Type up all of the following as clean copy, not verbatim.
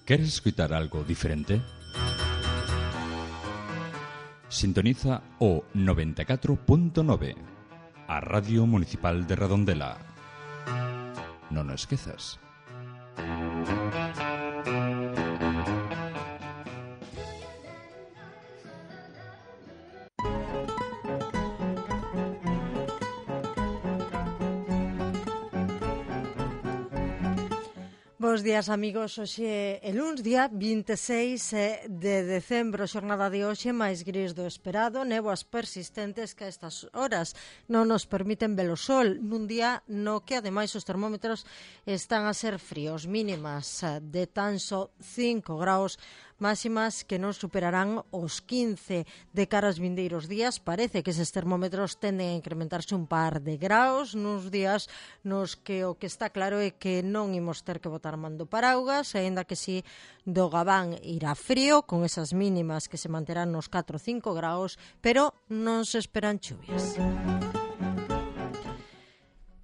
¿Queres escuchar algo diferente? Sintoniza o 94.9, a Radio Municipal de Redondela. Non o esquezas. Bos días, amigos. Hoxe é luns, día 26 de decembro, xornada de hoxe máis gris do esperado, néboas persistentes que a estas horas non nos permiten ver o sol, nun día no que ademais os termómetros están a ser fríos, mínimas de tan só 5 graus, máximas que non superarán os 15 de cara aos vindeiros días. Parece que eses termómetros tenden a incrementarse un par de graus nos días nos que o que está claro é que non imos ter que botar man do paraugas, aínda que si do Gabán irá frío, con esas mínimas que se manterán nos 4 ou 5 graus, pero non se esperan chuvias.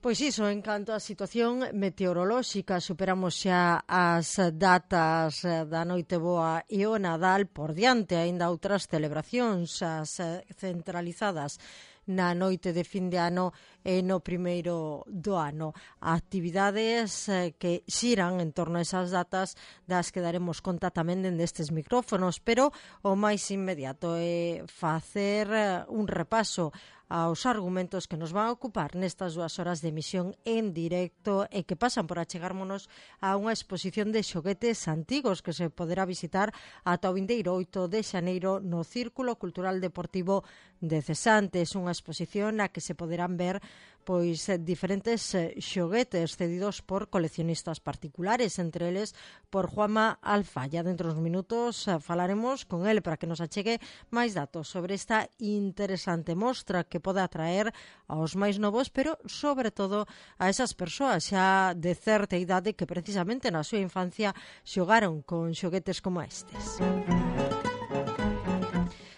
Pois iso, en canto á situación meteorolóxica, superamos xa as datas da Noite Boa e o Nadal, por diante aínda outras celebracións, as centralizadas na noite de fin de ano e no primeiro do ano. Actividades que xiran en torno a esas datas das que daremos conta tamén dende estes micrófonos, pero o máis inmediato é facer un repaso aos argumentos que nos van a ocupar nestas 2 horas de emisión en directo e que pasan por achegármonos a unha exposición de xoguetes antigos que se poderá visitar ata o vindeiro 8 de xaneiro no Círculo Cultural Deportivo de Cesantes, unha exposición na que se poderán ver pois diferentes xoguetes cedidos por coleccionistas particulares, entre eles por Juanma Alfaya. Dentro dos minutos falaremos con ele para que nos achegue máis datos sobre esta interesante mostra que pode atraer aos máis novos, pero sobre todo a esas persoas xa de certa idade que precisamente na súa infancia xogaron con xoguetes como estes.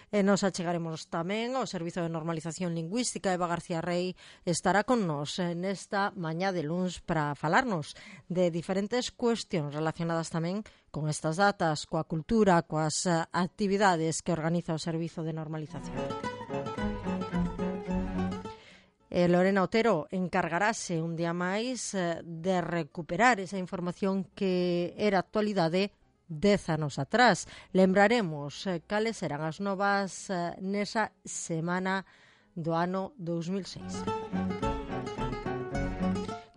E nos achegaremos tamén ao Servizo de Normalización Lingüística. Eva García Rey estará con nos nesta mañá de luns para falarnos de diferentes cuestións relacionadas tamén con estas datas, coa cultura, coas actividades que organiza o Servizo de Normalización. E Lorena Otero encargarase un día máis de recuperar esa información que era actualidade 10 anos atrás. Lembraremos cales eran as novas nesa semana do ano 2006.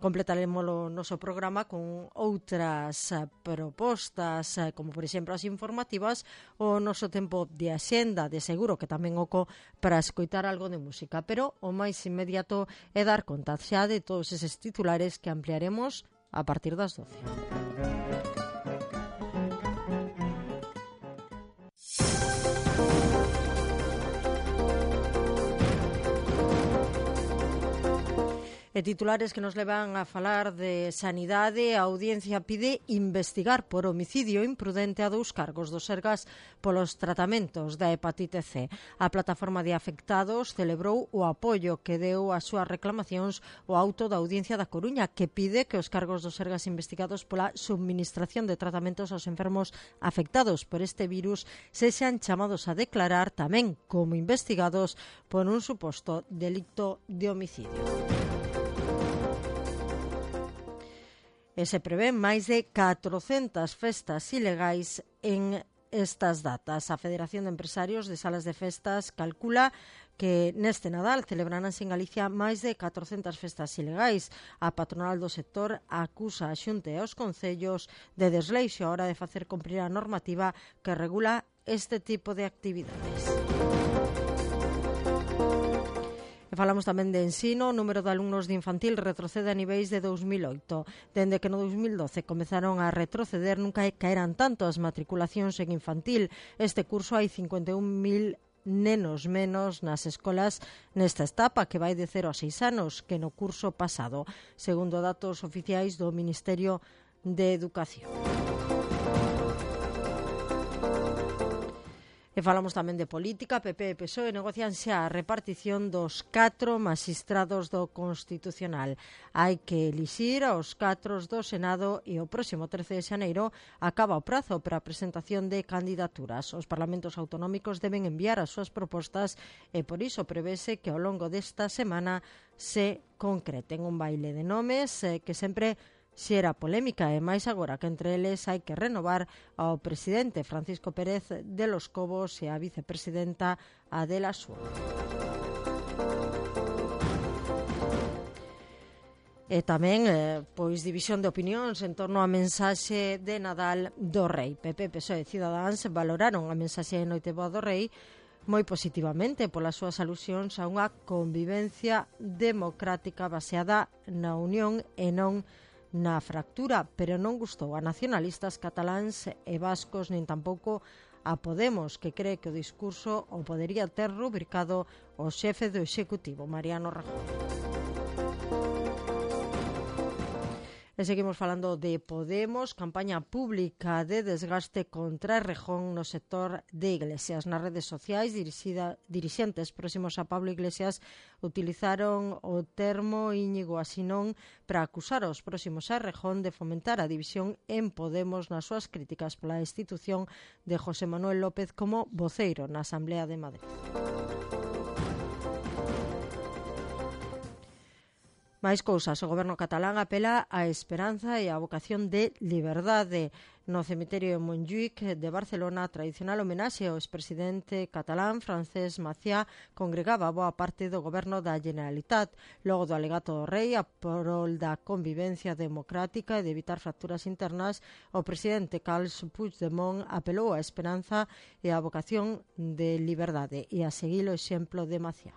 Completaremos o noso programa con outras propostas, como por exemplo as informativas, o noso tempo de axenda, de seguro que tamén oco para escoitar algo de música, pero o máis inmediato é dar conta xa de todos eses titulares que ampliaremos a partir das 12. E titulares que nos levan a falar de sanidade. A Audiencia pide investigar por homicidio imprudente a 2 cargos do Sergas polos tratamentos da hepatite C. A plataforma de afectados celebrou o apoio que deu ás súas reclamacións o auto da Audiencia da Coruña, que pide que os cargos do Sergas investigados pola subministración de tratamentos aos enfermos afectados por este virus sexan chamados a declarar tamén como investigados por un suposto delicto de homicidio. E se prevén máis de 400 festas ilegais en estas datas. A Federación de Empresarios de Salas de Festas calcula que neste Nadal celebraránse en Galicia máis de 400 festas ilegais. A patronal do sector acusa a Xunta e aos concellos de desleixo a hora de facer cumprir a normativa que regula este tipo de actividades. E falamos tamén de ensino. O número de alumnos de infantil retrocede a niveis de 2008. Dende que no 2012 comezaron a retroceder, nunca caeran tanto as matriculacións en infantil. Este curso hai 51.000 nenos menos nas escolas nesta etapa, que vai de 0 a 6 anos, que no curso pasado, segundo datos oficiais do Ministerio de Educación. E falamos tamén de política. PP e PSOE negocian xa a repartición dos 4 magistrados do Constitucional. Hai que elixir aos 4 do Senado e o próximo 13 de xaneiro acaba o prazo para a presentación de candidaturas. Os parlamentos autonómicos deben enviar as súas propostas e por iso prevese que ao longo desta semana se concreten un baile de nomes que sempre xera polémica e máis agora que entre eles hai que renovar ao presidente Francisco Pérez de los Cobos e a vicepresidenta Adela Suárez. E tamén, pois, división de opinións en torno á mensaxe de Nadal do Rei. PP, PSOE e Cidadáns valoraron a mensaxe de Noiteboa do Rei moi positivamente polas súas alusións a unha convivencia democrática baseada na unión e non na fractura, pero non gustou a nacionalistas cataláns e vascos nin tampouco a Podemos, que cree que o discurso o podería ter rubricado o xefe do Executivo, Mariano Rajoy. E seguimos falando de Podemos, campaña pública de desgaste contra Errejón no sector de Iglesias. Nas redes sociais, dirixentes próximos a Pablo Iglesias utilizaron o termo Íñigo Asinón para acusar aos próximos a Errejón de fomentar a división en Podemos nas súas críticas pola institución de José Manuel López como voceiro na Asamblea de Madrid. Máis cousas, o goberno catalán apela á esperanza e á vocación de liberdade. No cemiterio de Montjuïc de Barcelona, a tradicional homenaxe ao expresidente catalán Francesc Macià congregaba boa parte do goberno da Generalitat. Logo do alegato do rei, a prol da convivencia democrática e de evitar fracturas internas, o presidente Carles Puigdemont apelou á esperanza e á vocación de liberdade e a seguir o exemplo de Macià.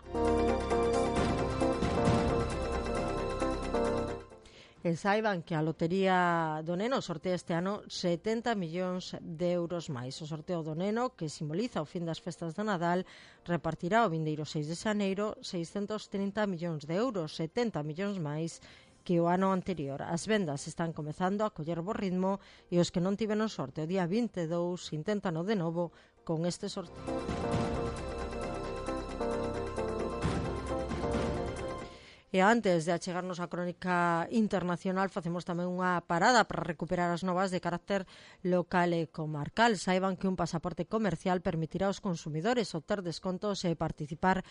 E saiban que a Lotería do Neno sortea este ano 70 millóns de euros máis. O sorteo do Neno, que simboliza o fin das festas do Nadal, repartirá o vindeiro 6 de xaneiro 630 millóns de euros, 70 millóns máis que o ano anterior. As vendas están comezando a coller bo ritmo e os que non tiveron sorte o día 22 intentan de novo con este sorteo. E antes de achegarnos á crónica internacional, facemos tamén unha parada para recuperar as novas de carácter local e comarcal. Saiban que un pasaporte comercial permitirá aos consumidores obter descontos e participar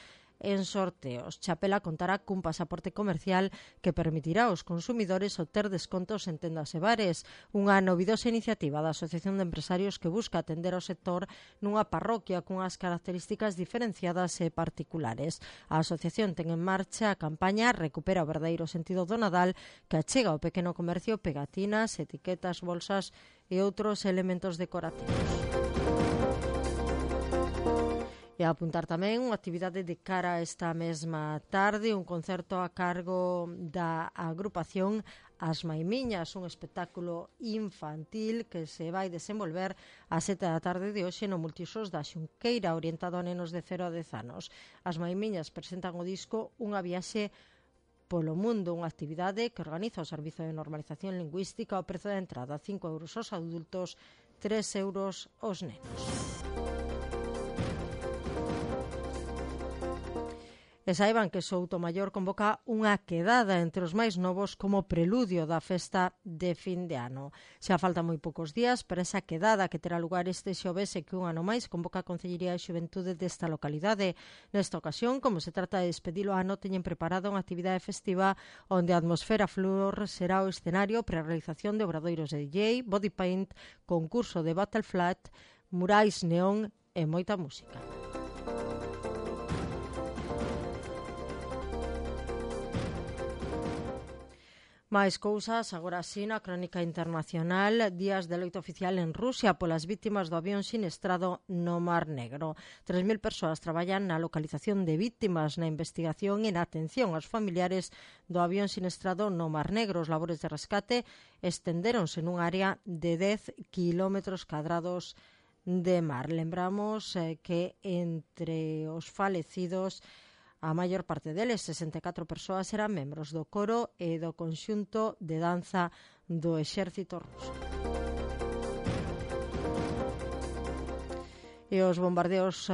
en sorteos. Chapela contará cun pasaporte comercial que permitirá aos consumidores obter descontos en tendas e bares. Unha novidosa iniciativa da Asociación de Empresarios que busca atender ao sector nunha parroquia cunhas características diferenciadas e particulares. A asociación ten en marcha a campaña Recupera o verdadeiro sentido do Nadal, que achega ao pequeno comercio pegatinas, etiquetas, bolsas e outros elementos decorativos. E a apuntar tamén unha actividade de cara a esta mesma tarde, un concerto a cargo da agrupación As Maimiñas, un espectáculo infantil que se vai desenvolver a 7 da tarde de hoxe no Multiusos da Xunqueira, orientado a nenos de 0 a 10 anos. As Maimiñas presentan o disco Unha viaxe polo mundo, unha actividade que organiza o Servizo de Normalización Lingüística. O prezo de entrada 5 euros aos adultos, 3 euros aos nenos. E saiban que Soutomaior convoca unha quedada entre os máis novos como preludio da festa de fin de ano. Xa faltan moi poucos días para esa quedada que terá lugar este xoves e que un ano máis convoca a Concellería de Xuventude desta localidade. Nesta ocasión, como se trata de despedir o ano, teñen preparada unha actividade festiva onde a atmosfera flor será o escenario para a realización de obradoiros de DJ, body paint, concurso de battle flat, murais neón e moita música. Máis cousas, agora sí, na crónica internacional, días de loito oficial en Rusia polas vítimas do avión sinestrado no Mar Negro. 3.000 persoas traballan na localización de vítimas, na investigación e na atención aos familiares do avión sinestrado no Mar Negro. Os labores de rescate estendéronse nun área de 10 kilómetros cadrados de mar. Lembramos que entre os falecidos, a maior parte deles, 64 persoas, eran membros do coro e do conxunto de danza do exército ruso. E os bombardeos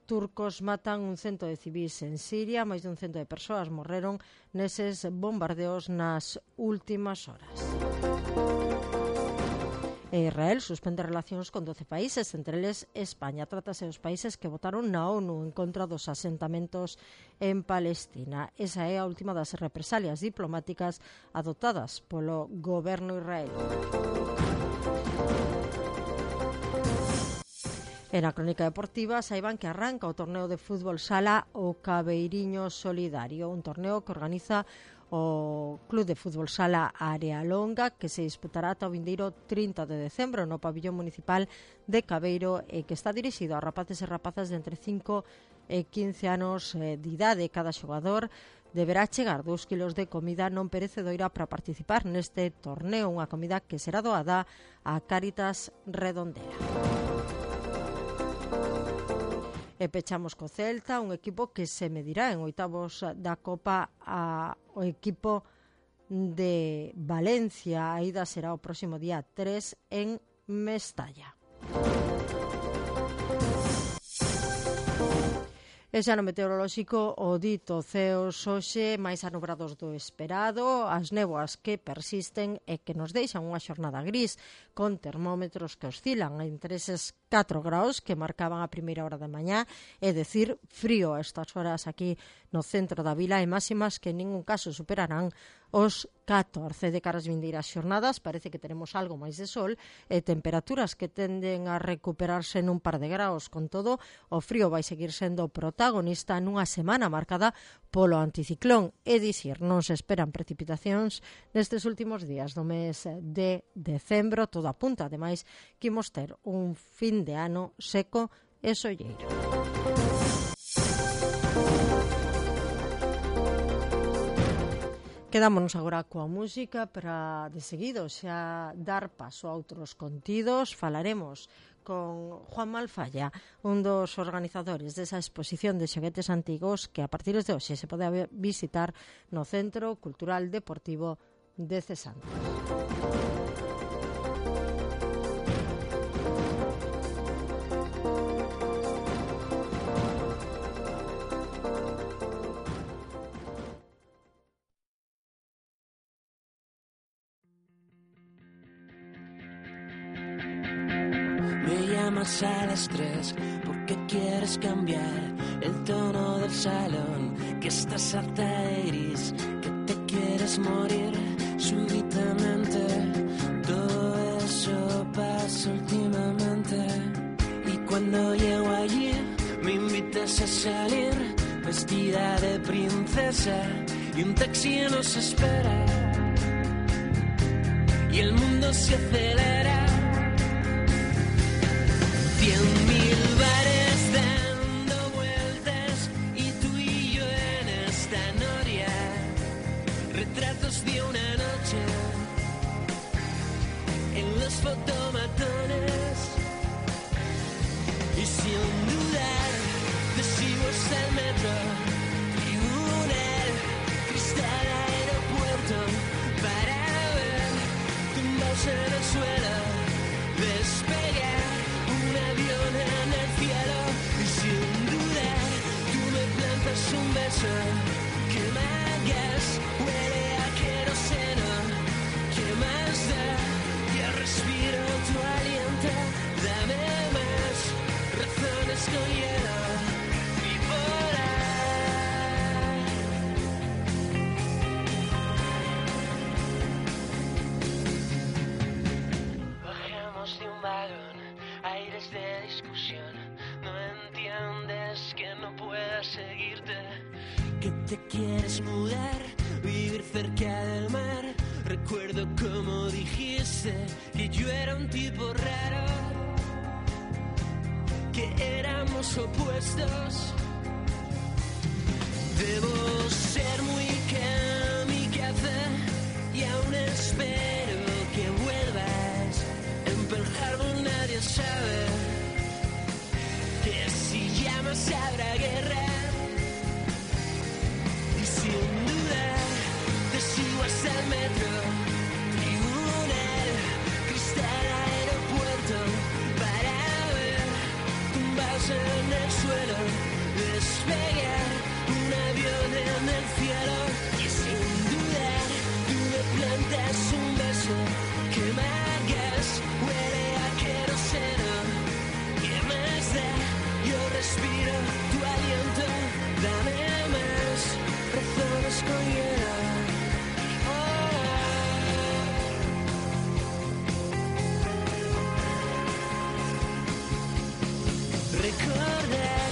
turcos matan un cento de civis en Siria, máis dun cento de persoas morreron neses bombardeos nas últimas horas. Israel suspende relacións con 12 países, entre eles España. Trátase dos países que votaron na ONU en contra dos asentamentos en Palestina. Esa é a última das represalias diplomáticas adoptadas polo goberno israelí. E na crónica deportiva saiban que arranca o torneo de fútbol sala o Cabeiriño Solidario, un torneo que organiza o Club de Fútbol Sala Área Longa, que se disputará ata o vindeiro 30 de decembro no pabillón municipal de Cabeiro e que está dirixido a rapaces e rapazas de entre 5 e 15 anos de idade. Cada xogador deberá chegar 2 kilos de comida non perecedora para participar neste torneo, unha comida que será doada a Cáritas Redondela. E pechamos co Celta, un equipo que se medirá en oitavos da Copa ao equipo de Valencia. A ida será o próximo día 3 en Mestalla. E xa no meteorolóxico, o dito ceos hoxe máis anubrados do esperado, as néboas que persisten e que nos deixan unha xornada gris, con termómetros que oscilan entre eses 4 graus que marcaban a primeira hora da mañá, é dicir, frío a estas horas aquí no centro da vila, e máximas que en ningún caso superarán os 14 de caras vindeiras xornadas. Parece que teremos algo máis de sol e temperaturas que tenden a recuperarse nun par de graus. Con todo, o frío vai seguir sendo protagonista nunha semana marcada polo anticiclón, é dicir, non se esperan precipitacións nestes últimos días do mes de decembro. Todo apunta, ademais, que imos ter un fin de ano seco e solleiro. Quedámonos agora coa música para, de seguido, xa dar paso a outros contidos. Falaremos con Juan Malfalla, un dos organizadores desa exposición de xoguetes antigos que a partir de hoxe se pode visitar no Centro Cultural Deportivo de Cesantes. A las 3 porque quieres cambiar el tono del salón, que estás harta de iris, que te quieres morir súbitamente. Todo eso pasa últimamente. Y cuando llego allí me invitas a salir vestida de princesa y un taxi nos espera y el mundo se acelera. 100.000 bares dando vueltas y tú y yo en esta noria, retratos de una noche en los fotomatones, y sin dudar te sigo hasta el metro, tribunal, cristal, aeropuerto, para ver tumbados en el suelo, despegar un avión en el cielo, y sin duda tú me plantas un beso que me hagas, huele a queroseno, que más da, ya respiro tu aliento, dame más razones con hielo bipolar. Bajamos de un vagón, aires de discusión, no entiendes que no pueda seguirte, que te quieres mudar, vivir cerca del mar. Recuerdo como dijiste que yo era un tipo raro, que éramos opuestos. Debo ser muy kamikaze y aún espero que vuelvas. En Pearl Harbor nadie sabe que si llamas habrá guerra, y sin duda te sigo hasta el metro, tribunal, cristal, aeropuerto, para ver despegar un avión en el cielo y sin dudar tú me plantas un beso que me hagas huele a queroseno. ¿Qué más da? Yo respiro tu aliento, dame más razones con hielo. Recordar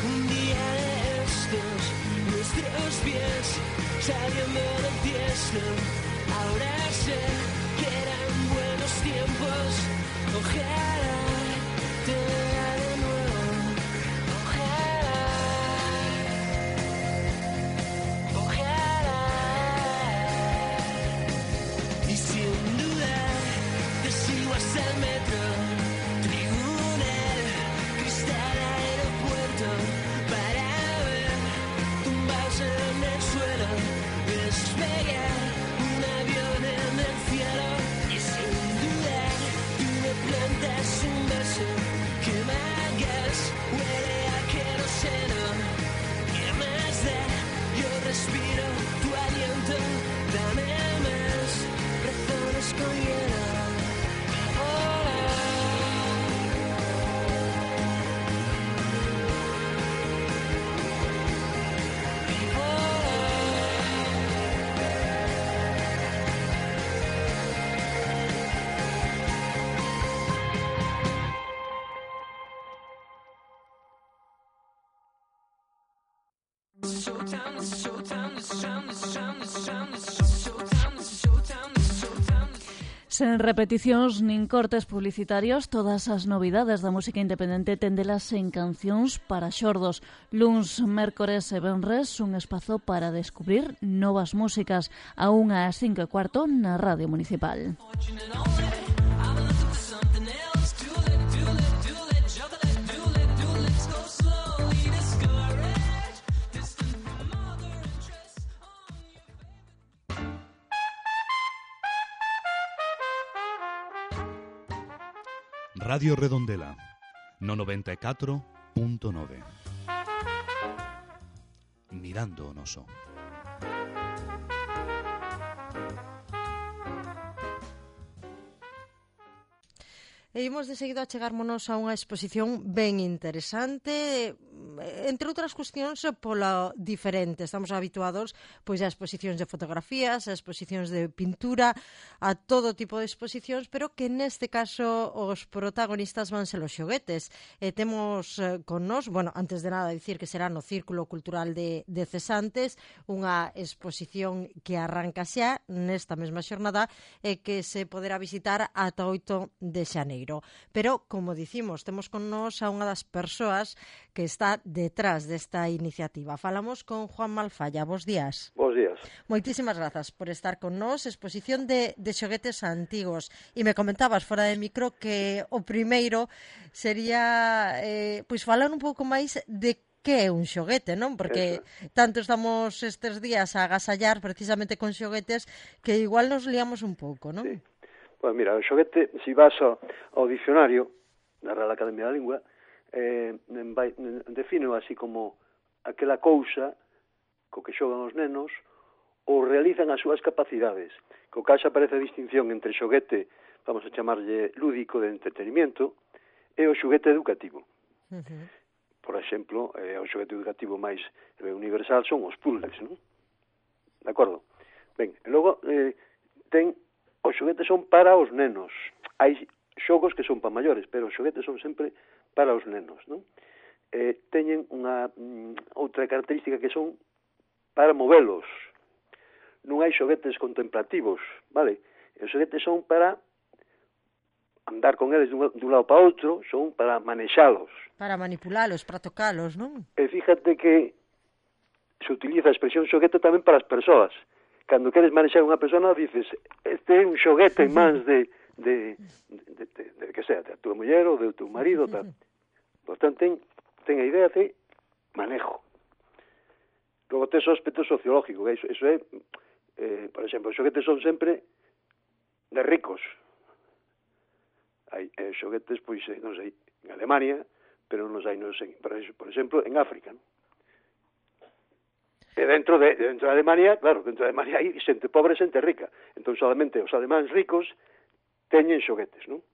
un día de estos, nuestros pies saliendo del tiesto. Ahora sé que eran buenos tiempos. Ojalá te vea de nuevo. Ojalá, ojalá. Y sin duda te sigo hasta el metro. Despegar un avión en el cielo y sin dudar tú me plantas un beso que me hagas huele a queroseno. ¿Qué más da? Yo respiro tu aliento, dame más razones con hielo. Sen repeticións nin cortes publicitarios, todas as novidades da música independente tendelas en Cancións para Xordos. Luns, mércores e venres, un espazo para descubrir novas músicas a 1:05:15 na Radio Municipal. Radio Redondela, no 94.9. Mirando o noso. E imos de seguido a chegármonos a unha exposición ben interesante, entre outras cuestións pola diferente. Estamos habituados pois a exposicións de fotografías, a exposicións de pintura, a todo tipo de exposicións, pero que neste caso os protagonistas van ser os xoguetes. E temos con nós, bueno, antes de nada dicir que será no Círculo Cultural de Cesantes, unha exposición que arranca xa nesta mesma xornada e que se poderá visitar ata 8 de xaneiro. Pero, como dicimos, temos con nós a unha das persoas que está detrás desta iniciativa. Falamos con Juan Malfalla. Bos días. Bos días. Moitísimas grazas por estar con nós. Exposición de xoguetes antigos. E me comentabas fora de micro que o primeiro sería pois falar un pouco máis de que é un xoguete, non? Porque tanto estamos estes días a agasallar precisamente con xoguetes que igual nos liamos un pouco, non? Sí. Pois mira, o xoguete, se vas ao dicionario da Real Academia da Lingua, define así como aquela cousa co que xogan os nenos ou realizan as súas capacidades. Co cal xa aparece a distinción entre xoguete, vamos a chamarlle lúdico de entretenimiento, e o xoguete educativo. Por exemplo, o xoguete educativo máis universal son os puzzles, non? De acordo? Ben, logo ten os xoguetes son para os nenos. Hai xogos que son para maiores, pero os xoguetes son sempre para os nenos, non? Teñen unha outra característica que son para movelos. Non hai xoguetes contemplativos, vale? Os xoguetes son para andar con eles dun lado para outro, son para manexalos. Para manipulalos, para tocalos, non? E fíjate que se utiliza a expresión xoguete tamén para as persoas. Cando queres manexar unha persona, dices, este é un xoguete en mans de que sea, de a tua muller ou de teu marido, tal. Por tanto, ten a idea de manejo. Logo, ten o aspecto sociológico, eso é, por exemplo, os xoguetes son sempre de ricos. Hai xoguetes, pois, non sei, en Alemania, pero non hai, por exemplo, en África, non? E dentro de Alemania, claro, dentro de Alemania hai xente pobre e xente rica. Entón, solamente os alemáns ricos teñen xoguetes, non?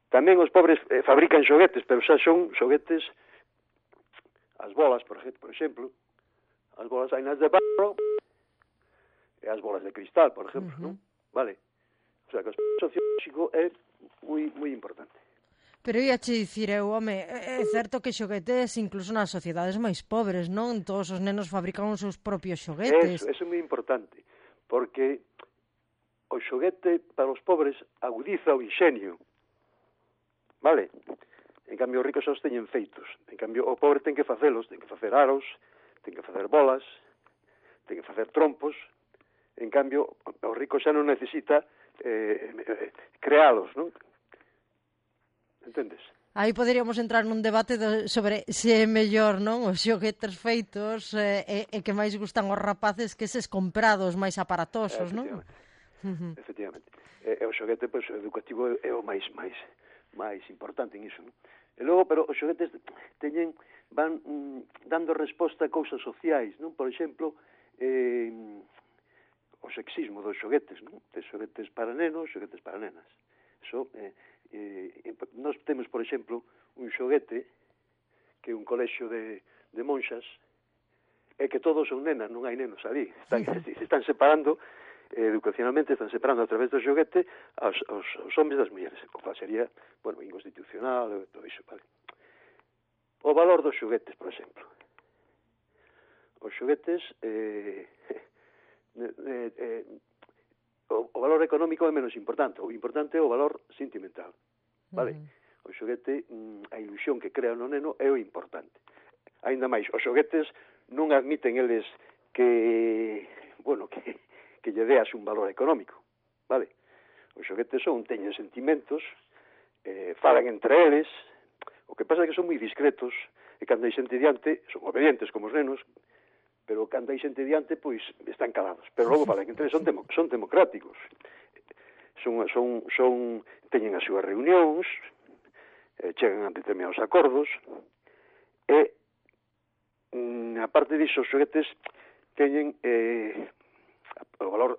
Tamén os pobres fabrican xoguetes, pero xa son xoguetes, as bolas, por exemplo, as bolas hai nas de barro e as bolas de cristal, por exemplo, non? Vale? O sea, que o sociolóxico é moi importante. Pero ia che dicir eu, home, é certo que xoguetes incluso nas sociedades máis pobres, non? Todos os nenos fabrican os seus propios xoguetes. Eso é moi importante, porque o xoguete para os pobres agudiza o inxenio, vale? En cambio, os ricos os teñen feitos. En cambio, o pobre ten que facelos, ten que facer aros, ten que facer bolas, ten que facer trompos. En cambio, o rico xa non necesita crealos, non? Entendes? Aí poderíamos entrar nun debate sobre se é mellor, non, os xoguetes feitos e que máis gustan os rapaces que eses comprados máis aparatosos, non? Efectivamente. O xoguete, pois, educativo é o máis importante en iso, non? E logo, pero os xoguetes van dando resposta a cousas sociais, non? Por exemplo, o sexismo dos xoguetes, non? De xoguetes para nenos, xoguetes para nenas. Eso, nós temos, por exemplo, un xoguete que é un colexio de monxas e que todos son nenas, non hai nenos ali. Se están separando, educacionalmente están separando a través do xoguete os homes das mulleres. O cual sería, bueno, inconstitucional, todo iso, vale? O valor dos xoguetes, por exemplo. Os xoguetes... o valor económico é menos importante. O importante é o valor sentimental, vale? O xoguete, a ilusión que crea no neno é o importante. Ainda máis, os xoguetes non admiten eles que lle deas un valor económico, vale? Os xoguetes teñen sentimentos, falan entre eles. O que pasa é que son moi discretos e cando hai xente diante son obedientes como os nenos, pero cando hai xente diante, pois, están calados. Pero logo falan entre eles, son democráticos. Teñen as súas reunións, chegan a determinados acordos, e, aparte disso, os xoguetes teñen o valor,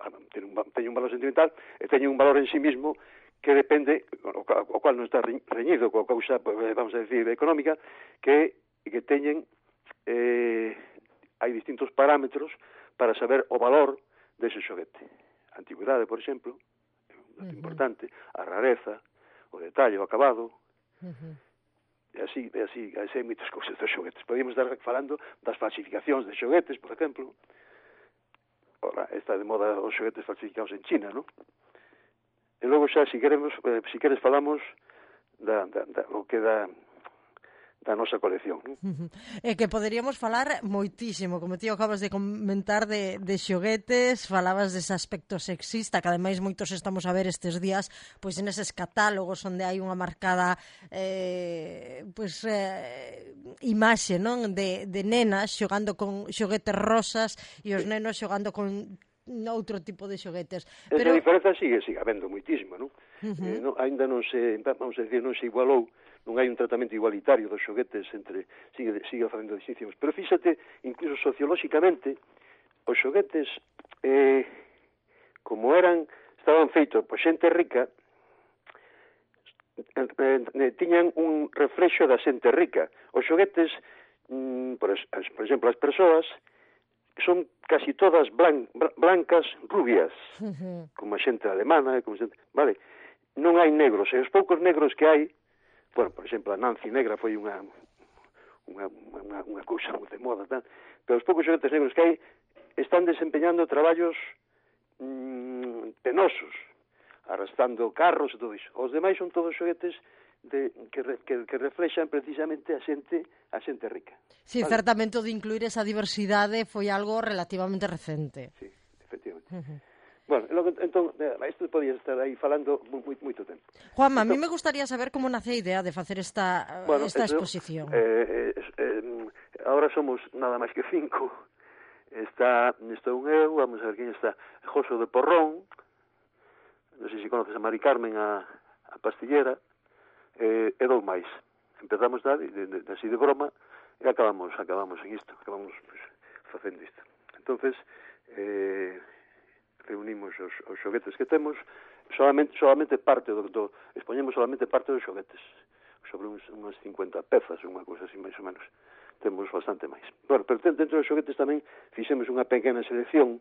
teñen un valor sentimental e teñen un valor en sí mismo que depende, o cual non está reñido coa causa, vamos a decir, económica, que teñen... hai distintos parámetros para saber o valor dese xoguete. A antigüidade, por exemplo, é un dato importante, a rareza, o detalle, o acabado, e así hai moitas cousas dos xoguetes. Podíamos estar falando das falsificacións de xoguetes, por exemplo. Ora, está de moda os xoguetes falsificados en China, non? E logo xa, se queres falamos da nosa colección, non? É que poderíamos falar moitísimo, como ti acabas de comentar de xoguetes, falabas dese aspecto sexista, que ademais moitos estamos a ver estes días, pois neses catálogos onde hai unha marcada imaxe, non, de nenas xogando con xoguetes rosas e os nenos xogando con outro tipo de xoguetes. Esa diferenza sigue habendo moitísimo, non? Ainda non se, vamos a decir, non se igualou, non hai un tratamento igualitario dos xoguetes sigue facendo distincións. Pero fíxate, incluso sociolóxicamente, os xoguetes, como estaban feitos por xente rica, tiñan un reflexo da xente rica. Os xoguetes, por exemplo, as persoas son casi todas blancas, rubias, como a xente alemana, vale? Non hai negros, e os poucos negros que hai, bueno, por exemplo, a Nancy negra foi unha cousa moi de moda, tal, pero os poucos xoguetes negros que hai están desempeñando traballos penosos, arrastrando carros e todo iso. Os demais son todos xoguetes que reflexan precisamente a xente rica. Sí, vale? Certamente o de incluir esa diversidade foi algo relativamente recente. Sí, efectivamente. Bueno, entón, isto podía estar aí falando moito tempo. Juanma, a mí me gustaría saber como nace a idea de facer esta exposición. Ahora somos nada máis que 5. Estou eu, vamos a ver quen está, Joso de Porrón, non sei se conoces a Mari Carmen, a pastillera, e dous máis. Empezamos así de broma e acabamos en isto, acabamos facendo isto. entonces reunimos os xoguetes que temos, solamente parte expoñemos solamente parte dos xoguetes, sobre unhas 50 pezas, unha cousa así máis ou menos. Temos bastante máis. Bueno, pero dentro dos xoguetes tamén fixemos unha pequena selección.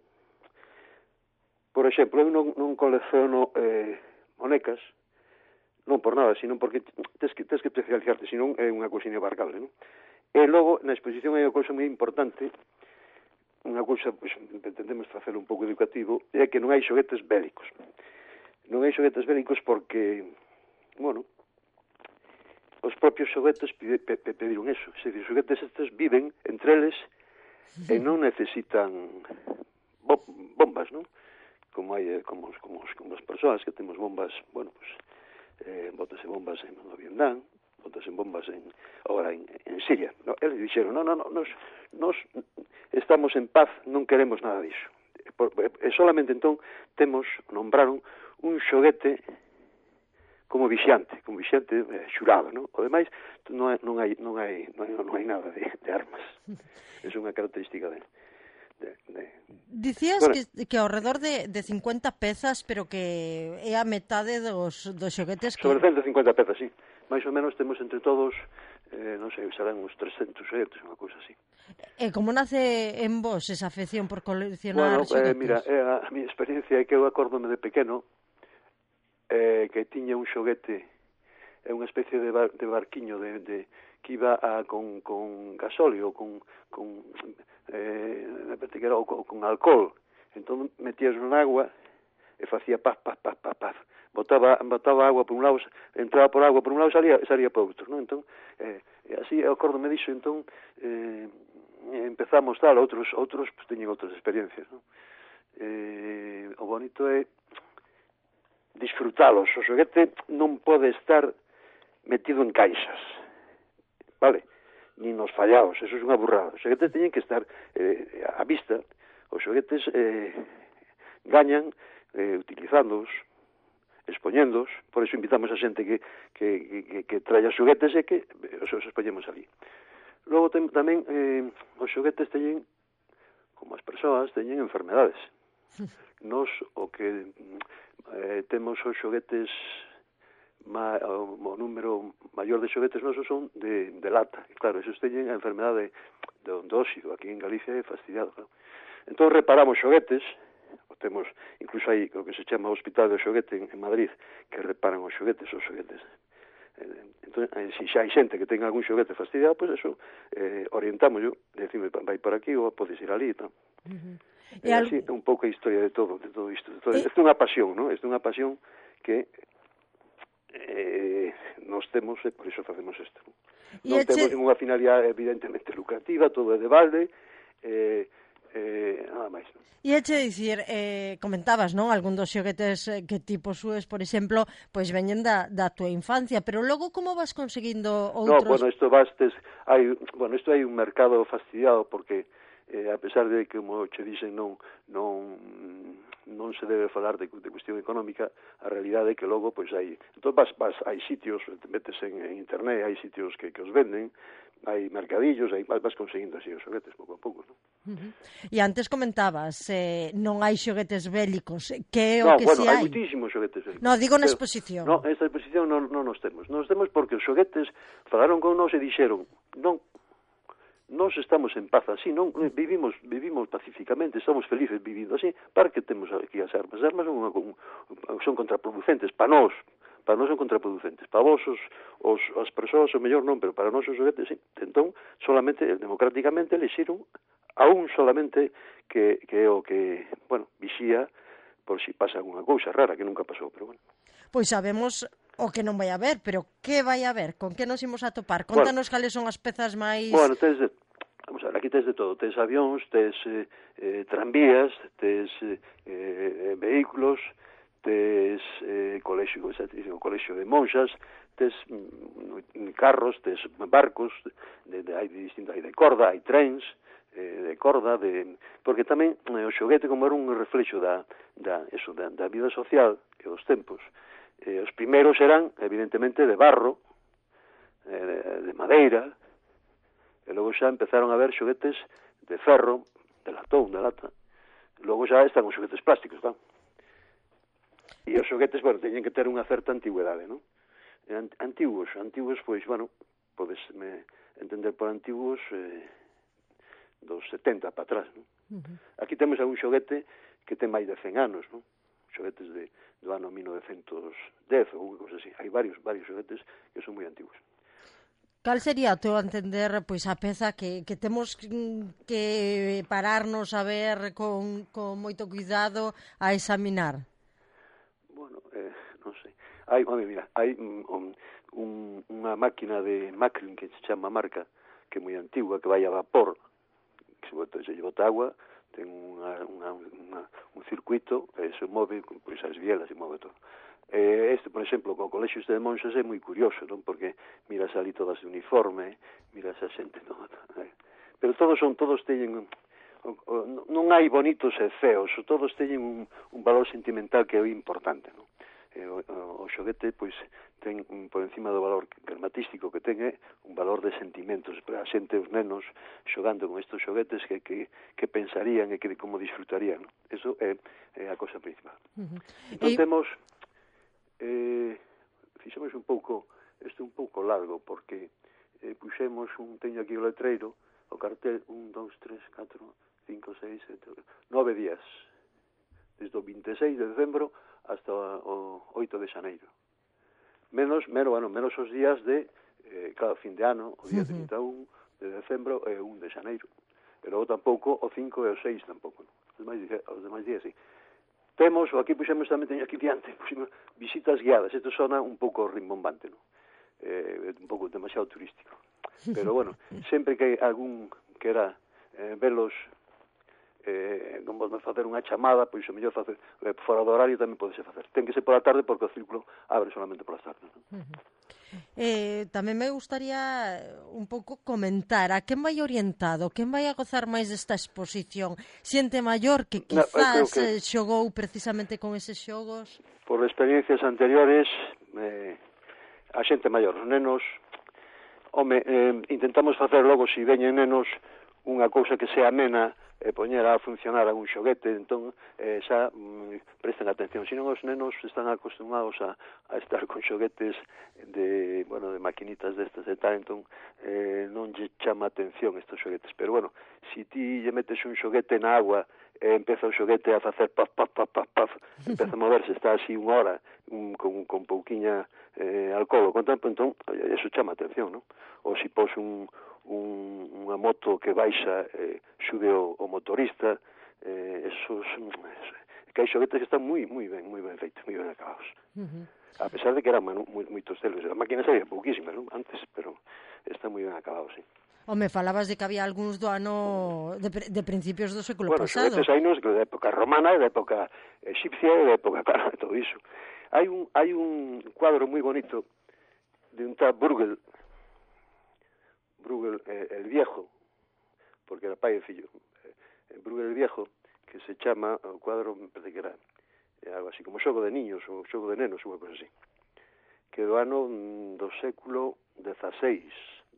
Por exemplo, eu non colecciono monecas, non por nada, sino porque tes que especializarte, senón é unha cousa inabarcable, non? E logo, na exposición hai unha cousa moi importante, unha cousa, pois, entendemos facelo un pouco educativo, é que non hai xoguetes bélicos. Non hai xoguetes bélicos porque, bueno, os propios xoguetes pediron eso. Se os xoguetes estes viven entre eles e non necesitan bombas, non? Como hai como as persoas que temos bombas, bueno, pues bótase bombas en Vietnam, bótase bombas agora en Siria. No, eles dixeron, nos estamos en paz, non queremos nada disso. E solamente entón nombraron un xoguete como vixiante xurado, non? O demais non hai nada de armas. É unha característica de Dicías que ao redor de 50 pezas, pero que é a metade dos xoguetes que... Sobre 150 pezas, sí. Mais ou menos temos entre todos, non sei, serán uns 300 xoguetes, unha cousa así. E como nace en vos esa afección por coleccionar xoguetes? Mira, a miña experiencia é que eu acórdome de pequeno que tiña un xoguete, unha especie de barquiño que iba con gasóleo, con alcohol. Entón metías na agua e facía paz. Botaba agua por un lado, entraba por agua por un lado e salía por outro, non? Entón, así, acórdome disso, entón empezamos tal, outros pues, teñen outras experiencias, non? O bonito é disfrutalos. O xoguete non pode estar metido en caixas, vale? Ni nos fallaos, eso é unha burrada. Os xoguetes teñen que estar á vista. Os xoguetes gañan utilizándoos, expoñéndoos. Por iso invitamos a xente que traia xoguetes e que os expoñemos ali. Logo tamén os xoguetes teñen, como as persoas, teñen enfermedades. Nos o que temos os xoguetes, o número maior de xoguetes nosos son de lata. Claro, esos teñen a enfermedade do óxido. Aquí en Galicia é fastidiado, claro. Entón reparamos xoguetes, temos, incluso hai o que se chama Hospital do Xoguete en Madrid, que reparan os xoguetes. Entón, se xa hai xente que ten algún xoguete fastidiado, pois eso, orientamos yo, decime, vai por aquí ou podes ir ali, non? E así é un pouco a historia de todo isto. Isto é unha pasión, non? Isto é unha pasión que nos temos, e por iso facemos isto. Non temos ninguna finalidade evidentemente lucrativa, todo é de balde, nada máis. E eche dicir, comentabas, non, algún dos xoguetes que ti posúes, por exemplo, pois veñen da tua infancia, pero logo como vas conseguindo outros? No, isto hai un mercado fastidiado porque a pesar de que, como che dixen, non se debe falar de cuestión económica, a realidade é que logo pois hai, entón hai sitios, metes en internet, hai sitios que os venden, hai mercadillos, vas conseguindo así os xoguetes pouco a pouco, non? E antes comentabas, non hai xoguetes bélicos, que é o que si hai? Hai muitísimos xoguetes bélicos. No, digo na exposición. No, esta exposición non nos temos. Nos temos porque os xoguetes falaron con nós e dixeron, non, nós estamos en paz así, non vivimos pacíficamente, estamos felices vivindo así, para que temos aquí as armas. As armas son contraproducentes para nós son contraproducentes. Para vos, as persoas, o mellor non, pero para nós os xoguetes, sí. Entón, solamente, democráticamente, elixiron a un solamente que é o que, bueno, vixía por si pasa alguna cousa rara, que nunca pasou, pero bueno. Pois sabemos o que non vai haber, pero que vai haber? Con que nos imos a topar? Contanos cales son as pezas máis... Bueno, vamos a ver, aquí tes de todo. Tes avións, tes tranvías, tes vehículos, tes colexio de monxas, tes carros, tes barcos, hai de corda, hai trens, de corda, porque tamén o xoguete como era un reflexo da vida social e dos tempos. Os primeiros eran, evidentemente, de barro, de madeira, e logo xa empezaron a haber xoguetes de ferro, de latón, de lata. Logo xa están os xoguetes plásticos, claro. E os xoguetes, bueno, teñen que ter unha certa antigüedade, non? Antigos, pois, bueno, podes entender por antigos dos 70 para atrás, non? Aquí temos algún xoguete que ten máis de 100 anos, non? Xoguetes do ano 1910 ou cousas así. Hai varios xoguetes que son moi antigos. Cal sería, a teu entender, pois a peza que temos que pararnos a ver con moito cuidado a examinar? Bueno, non sei. Hai unha máquina de Macklin que se chama Marca, que é moi antigua, que vai a vapor, que se bota agua, ten un circuito, se move, pois as bielas, se move todo. Este, por exemplo, co colexio de monxas é moi curioso, non? Porque miras ali todas de uniforme, miras a xente toda, pero todos teñen, non hai bonitos e feos, todos teñen un valor sentimental que é importante, non? O xoguete, pois, ten por encima do valor gramatístico que ten un valor de sentimentos para a xente, os nenos xogando con estes xoguetes que pensarían e que como disfrutarían, non? Eso é a cosa principal. Entón temos fixemos un pouco largo porque puxemos teño aquí o letreiro, o cartel 1, 2, 3, 4, 5, 6, 7, 9 días desde o 26 de decembro hasta o 8 de xaneiro menos os días de cada fin de ano, o día 31 de decembro e o 1 de xaneiro e logo tampouco o 5 e o 6 tampouco, non? Os demais días sí. Temos, aquí puxemos tamén, teño aquí diante, puxemos visitas guiadas. Isto sona un pouco rimbombante, non? Un pouco demasiado turístico. Pero, bueno, sempre que hai algún que era velos, non vamos facer unha chamada, pois o mellor facer fora do horario tamén podese facer. Ten que ser pola tarde porque o círculo abre solamente polas tardes, non? Tamén me gustaría un pouco comentar a quen vai orientado, quen vai a gozar máis desta exposición, xente maior que quizás xogou precisamente con eses xogos. Por experiencias anteriores, a xente maior, os nenos, intentamos facer logo, se veñen nenos, unha cousa que sea amena e poñer a funcionar algún xoguete, entón xa presten atención. Senón os nenos están acostumados a estar con xoguetes de maquinitas destas e tal, entón non lle chama atención estes xoguetes. Pero bueno, se ti lle metes un xoguete na agua e empeza o xoguete a facer paf, paf, paf, paf, paf, empeza a moverse, está así unha hora con pouquiña alcohol, con tempo, entón eso chama atención, non? Ou se pos unha moto que baixa sube o motorista, esos que hai xoguetes que están moi ben feitos, moi ben acabados. A pesar de que eran moitos deles, as máquinas había pouquísimas, non? Antes, pero están moi ben acabados, sí. Home, falabas de que había algúns do ano de principios do século pasado. Bueno, xoguetes hai nos da época romana, da época egipcia e da época, claro, todo iso. Hai un cuadro moi bonito de un tal Bruegel el Viejo, porque era pai e fillo, Bruegel el Viejo, que se chama, o cuadro, me parece que era algo así, como xogo de niños, ou xogo de nenos, ou algo así, que do ano do século XVI,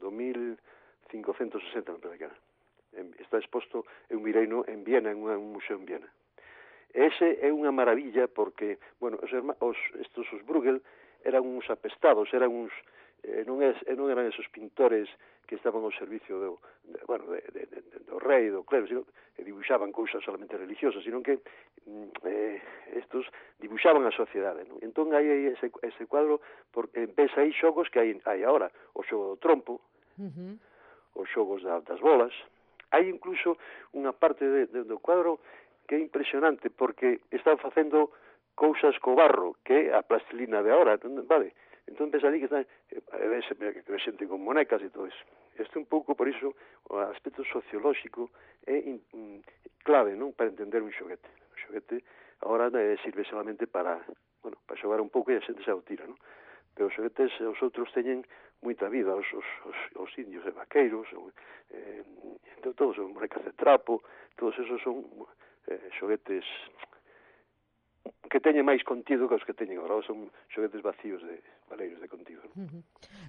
do 1560, me parece que era. Está exposto en un vireino en Viena, en un museo en Viena. Ese é unha maravilla porque, bueno, estos Bruegel eran uns apestados, eran uns non eran esos pintores que estaban ao servicio do rei, do clero, sino que dibuixaban cousas solamente religiosas, sino que estos dibuixaban a sociedade, non? Entón hai ese cuadro, porque ves aí xogos que hai agora, o xogo do trompo, os xogos das bolas. Hai incluso unha parte do cuadro que é impresionante, porque están facendo cousas co barro, que é a plastilina de agora, vale? Entón ves ali que están xente con monecas e todo eso. Isto un pouco, por iso, o aspecto sociolóxico é clave, non, para entender un xoguete. O xoguete agora sirve solamente para xogar un pouco e a xente xa o tira, non? Pero os xoguetes, os outros teñen moita vida, os indios e vaqueiros, todos son monecas de trapo, todos esos son xoguetes que teñen máis contido que os que teñen agora, son xoguetes vacíos de valeiros de contido.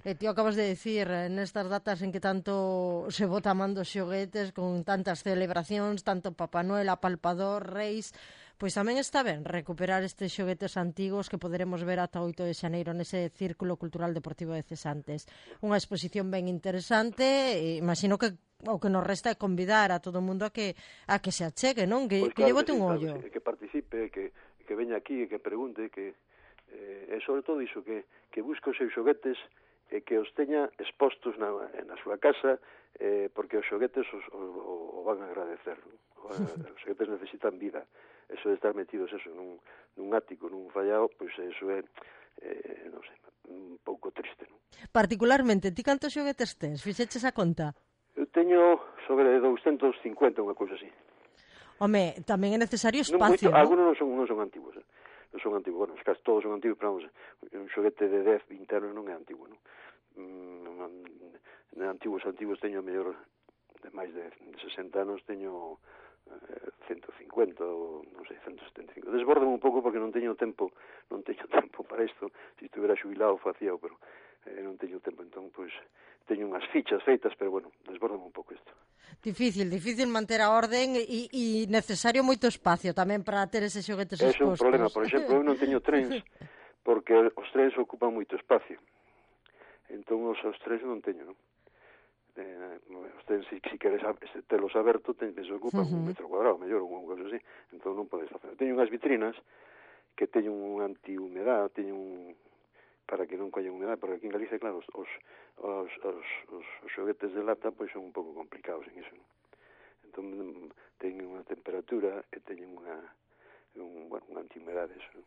E ti acabas de dicir, nestas datas en que tanto se bota man dos xoguetes, con tantas celebracións, tanto Papá Noel, apalpador, reis, pois tamén está ben recuperar estes xoguetes antigos que poderemos ver ata 8 de xaneiro nese Círculo Cultural Deportivo de Cesantes. Unha exposición ben interesante, e imagino que o que nos resta é convidar a todo o mundo a que se achegue, non? Que lle bote un ollo. Que participe, que veña aquí, que pregunte, que e sobre todo iso, que busque os seus xoguetes e que os teña expostos na súa casa, porque os xoguetes o van a agradecer, non? Os xoguetes necesitan vida. Eso de estar metidos nun ático, nun fallao, pois eso é, non sei, un pouco triste, non? Particularmente, ti cantos xoguetes tes? Fixeches a conta? Eu teño sobre 250, unha cousa así. Home, tamén é necesario espacio, non? Algunos non son antigos, non son antigos, bueno, casi todos son antigos, pero vamos, un xoguete de 10, 20 anos non é antigo, non? Antigos teño mellor de máis de 60 anos, teño 150 ou non sei, 175. Desbórdame un pouco porque non teño tempo para isto. Se estuviera xubilado facía, pero non teño tempo, entón pois teño unhas fichas feitas, pero bueno, desbórdame un pouco isto. Difícil manter a orden e necesario moito espacio tamén para ter eses xoguetes expostos. É un problema, por exemplo, eu non teño trens porque os trens ocupan moito espacio. Entón os trens non teño, non? Os trens, se queres telos aberto, se ocupan un metro cuadrado, mellor, ou unha cosa así. Entón non podes facer. Teño unhas vitrinas que teñen un anti-humedad, para que non collen humedad, porque aquí en Galicia, claro, os xoguetes de lata pois son un pouco complicados en iso. Entón teñen unha temperatura e teñen un anti-humedade, eso.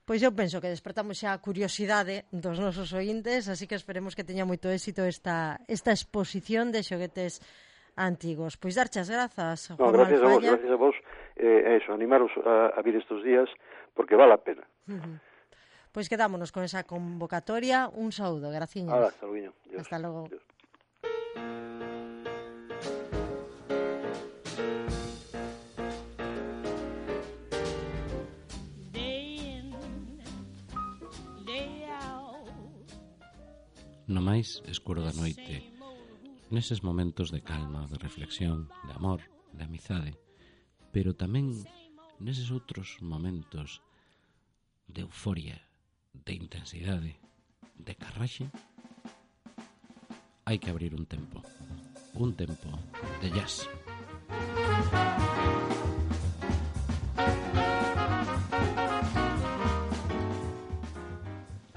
Pois eu penso que despertamos xa a curiosidade dos nosos ointes, así que esperemos que teña moito éxito esta exposición de xoguetes antigos. Pois darche as grazas, Juan Alfaya. Gracias a vos, animaros a vir estes días, porque vale a pena. Pois quedámonos con esa convocatoria. Un saúdo, graciñas. Hasta logo. Hasta logo. Dios. No máis escuro da noite, neses momentos de calma, de reflexión, de amor, de amizade, pero tamén neses outros momentos de euforia, de intensidade, de carraxe, hai que abrir un tempo de jazz.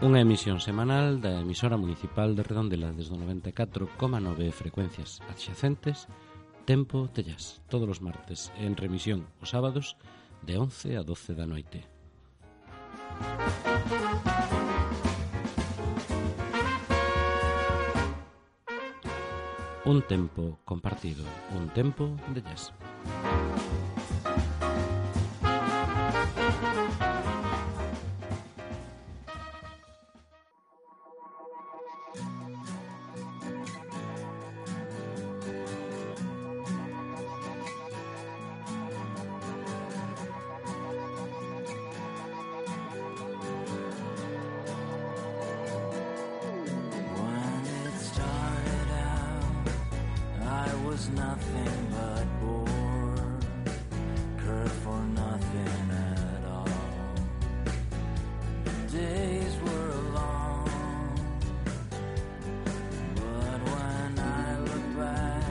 Unha emisión semanal da emisora municipal de Redondela desde 94,9 frecuencias adxacentes, Tempo de Jazz, todos os martes, en remisión os sábados de 11 a 12 da noite. Un tempo compartido, un tempo de jazz. Nothing but bore, cared for nothing at all. Days were long, but when I look back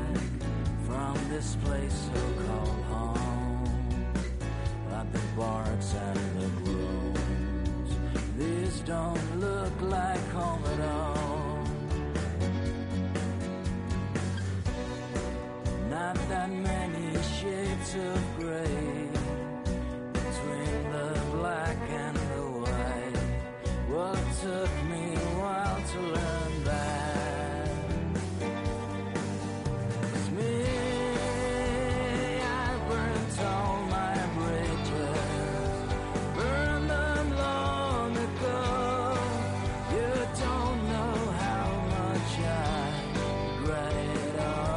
from this place so-called home, at the barks and the groves, these don't look like home at all. Not that many shades of gray between the black and the white. Well, it took me a while to learn that. It's me, I burnt all my bridges, burned them long ago. You don't know how much I regret it all.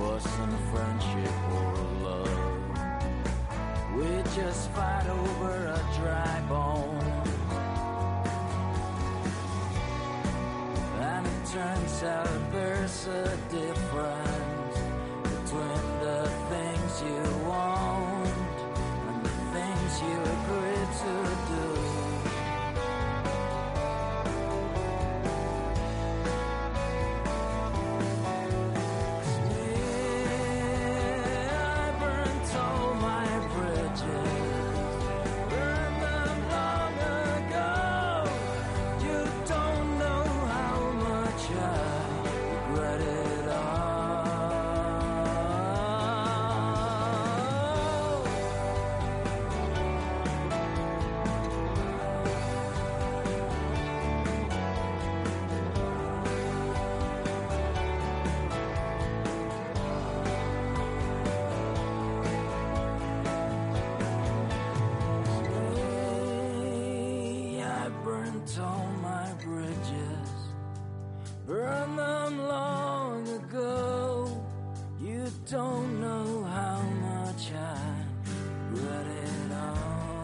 wasn't friendship or love. We just fight over a dry bone. And it turns out there's a difference between the things you want and the things you agree to do. All my bridges, burned them long ago. You don't know how much I regret it all.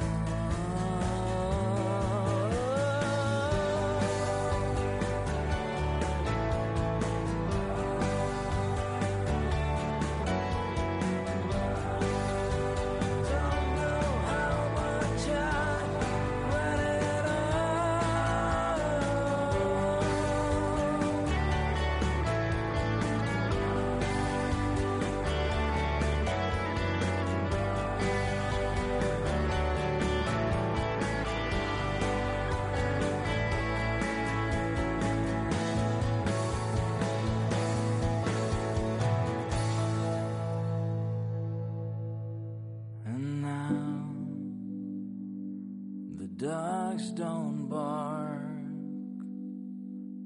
Don't know how much I regret it And now the dogs don't bark,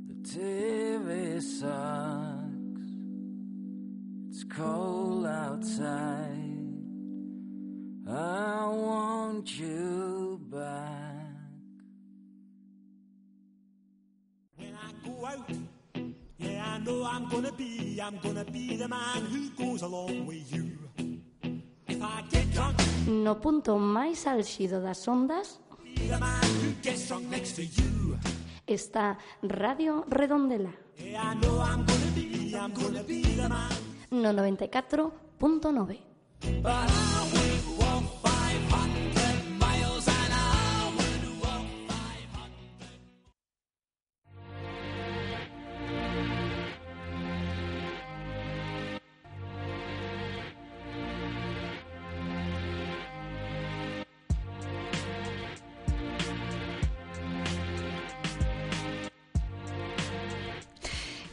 the TV sucks, it's cold outside, I want you back. When I go out, yeah, I know I'm gonna be the man who goes along with you. If I get drunk, No punto máis álxido das ondas be the man who gets drunk next to you. está Radio Redondela, Yeah, I know I'm gonna be the man. no 94.9. But I would walk 500 miles and I would walk 500.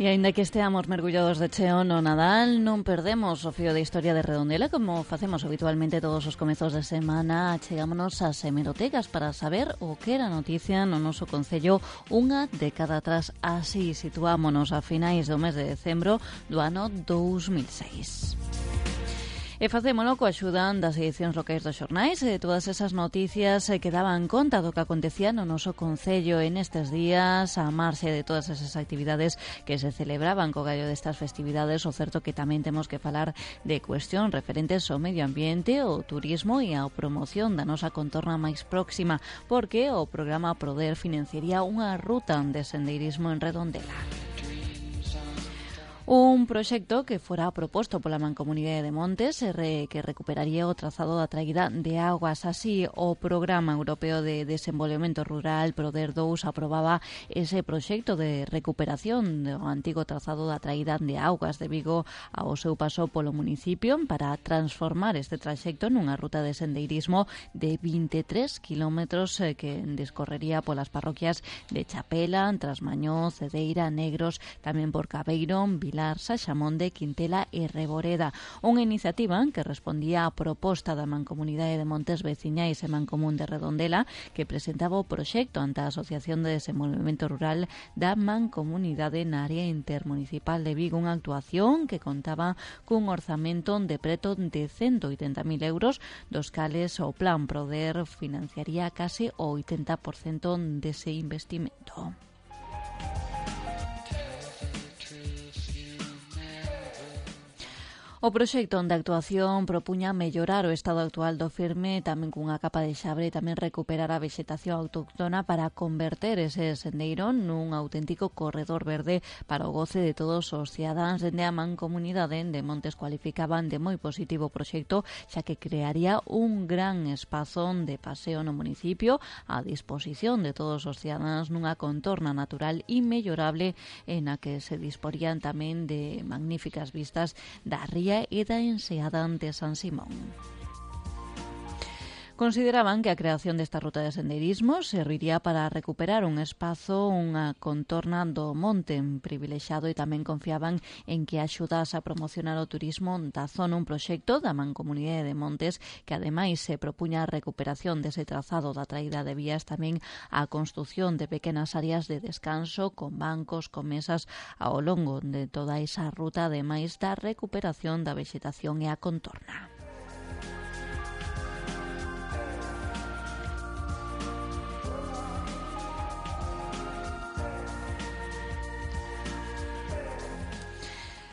E aínda que esteamos mergullados de cheo no Nadal, non perdemos o fío de historia de Redondela, como facemos habitualmente todos os comezos de semana. Chegámonos ás hemerotecas para saber o que era noticia no noso concello unha década atrás. Así situámonos a finais do mes de decembro do ano 2006. E facémolo coa axuda das edicións locais dos xornais e todas esas noticias que daban conta do que acontecía no noso concello en estes días, a marxe de todas esas actividades que se celebraban co gallo destas festividades. O certo que tamén temos que falar de cuestións referentes ao medio ambiente, ao turismo e á promoción da nosa contorna máis próxima, porque o programa Proder financiaría unha ruta de sendeirismo en Redondela. Un proxecto que fora proposto pola Mancomunidade de Montes que recuperaría o trazado da traída de augas. Así, o Programa Europeo de Desenvolvemento Rural Proder 2 aprobaba ese proxecto de recuperación do antigo trazado da traída de augas de Vigo ao seu paso polo municipio para transformar este traxecto nunha ruta de sendeirismo de 23 kilómetros que discorrería polas parroquias de Chapela, Trasmañó, Cedeira, Negros, tamén por Cabeiro, Vilar, Saxamonde, Quintela e Reboreda. Unha iniciativa que respondía á proposta da Mancomunidade de Montes Veciñais e Mancomún de Redondela, que presentaba o proxecto ante a Asociación de Desenvolvemento Rural da Mancomunidade na área intermunicipal de Vigo, unha actuación que contaba cun orzamento de preto de 180.000 euros, dos cales o Plan Proder financiaría case o 80% dese investimento. O proxecto de actuación propuña mellorar o estado actual do firme, tamén cunha capa de xabre, e tamén recuperar a vexetación autóctona para converter ese sendeiro nun auténtico corredor verde para o goce de todos os cidadáns. Dende a Mancomunidade de Montes cualificaban de moi positivo o proxecto, xa que crearía un gran espazo de paseo no municipio a disposición de todos os cidadáns nunha contorna natural inmellorable en a que se disporían tamén de magníficas vistas da ría e da enseada de San Simón. Consideraban que a creación desta ruta de sendeirismo serviría para recuperar un espazo, unha contorna do monte privilexado, e tamén confiaban en que axudase a promocionar o turismo da zona, un proxecto da Mancomunidade de Montes que ademais se propuña a recuperación dese trazado da traída de vías, tamén a construción de pequenas áreas de descanso con bancos, con mesas ao longo de toda esa ruta, ademais da recuperación da vexetación e a contorna.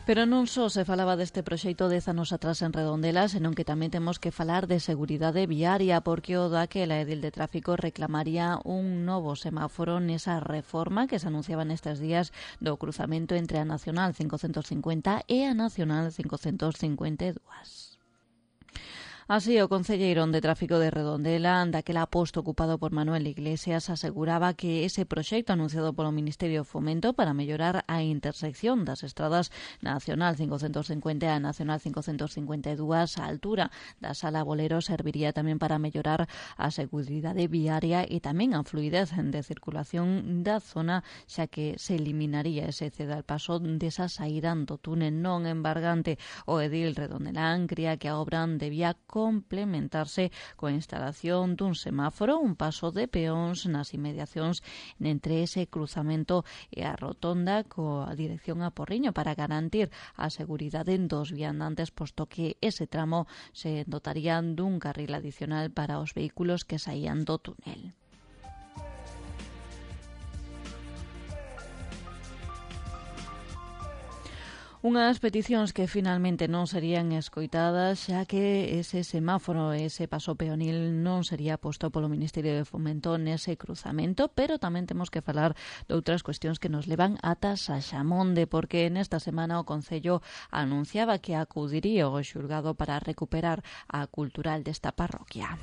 Pero non só se falaba deste proxecto 10 anos atrás en Redondela, senón que tamén temos que falar de seguridade viaria, porque o daquela edil de tráfico reclamaría un novo semáforo nesa reforma que se anunciaba nestes días do cruzamento entre a Nacional 550 e a Nacional 552. Así, o concelleiro de Tráfico de Redondela, daquela posto ocupado por Manuel Iglesias, aseguraba que ese proxecto anunciado polo Ministerio de Fomento para mellorar a intersección das estradas Nacional 550 e a Nacional 552 á altura da Sala Bolero serviría tamén para mellorar a seguridade viaria e tamén a fluidez de circulación da zona, xa que se eliminaría ese cedal paso desa saída do túnel non embargante. O edil redondelán cría que a obra debía complementarse coa instalación dun semáforo, un paso de peóns nas inmediacións entre ese cruzamento e a rotonda coa dirección a Porriño para garantir a seguridade dos viandantes, posto que ese tramo se dotaría dun carril adicional para os vehículos que saían do túnel. Unhas peticións que finalmente non serían escoitadas, xa que ese semáforo, ese paso peonil non sería posto polo Ministerio de Fomento nese cruzamento, pero tamén temos que falar de outras cuestións que nos levan ata Saxamonde, porque nesta semana o Concello anunciaba que acudiría ao xulgado para recuperar a cultural desta parroquia.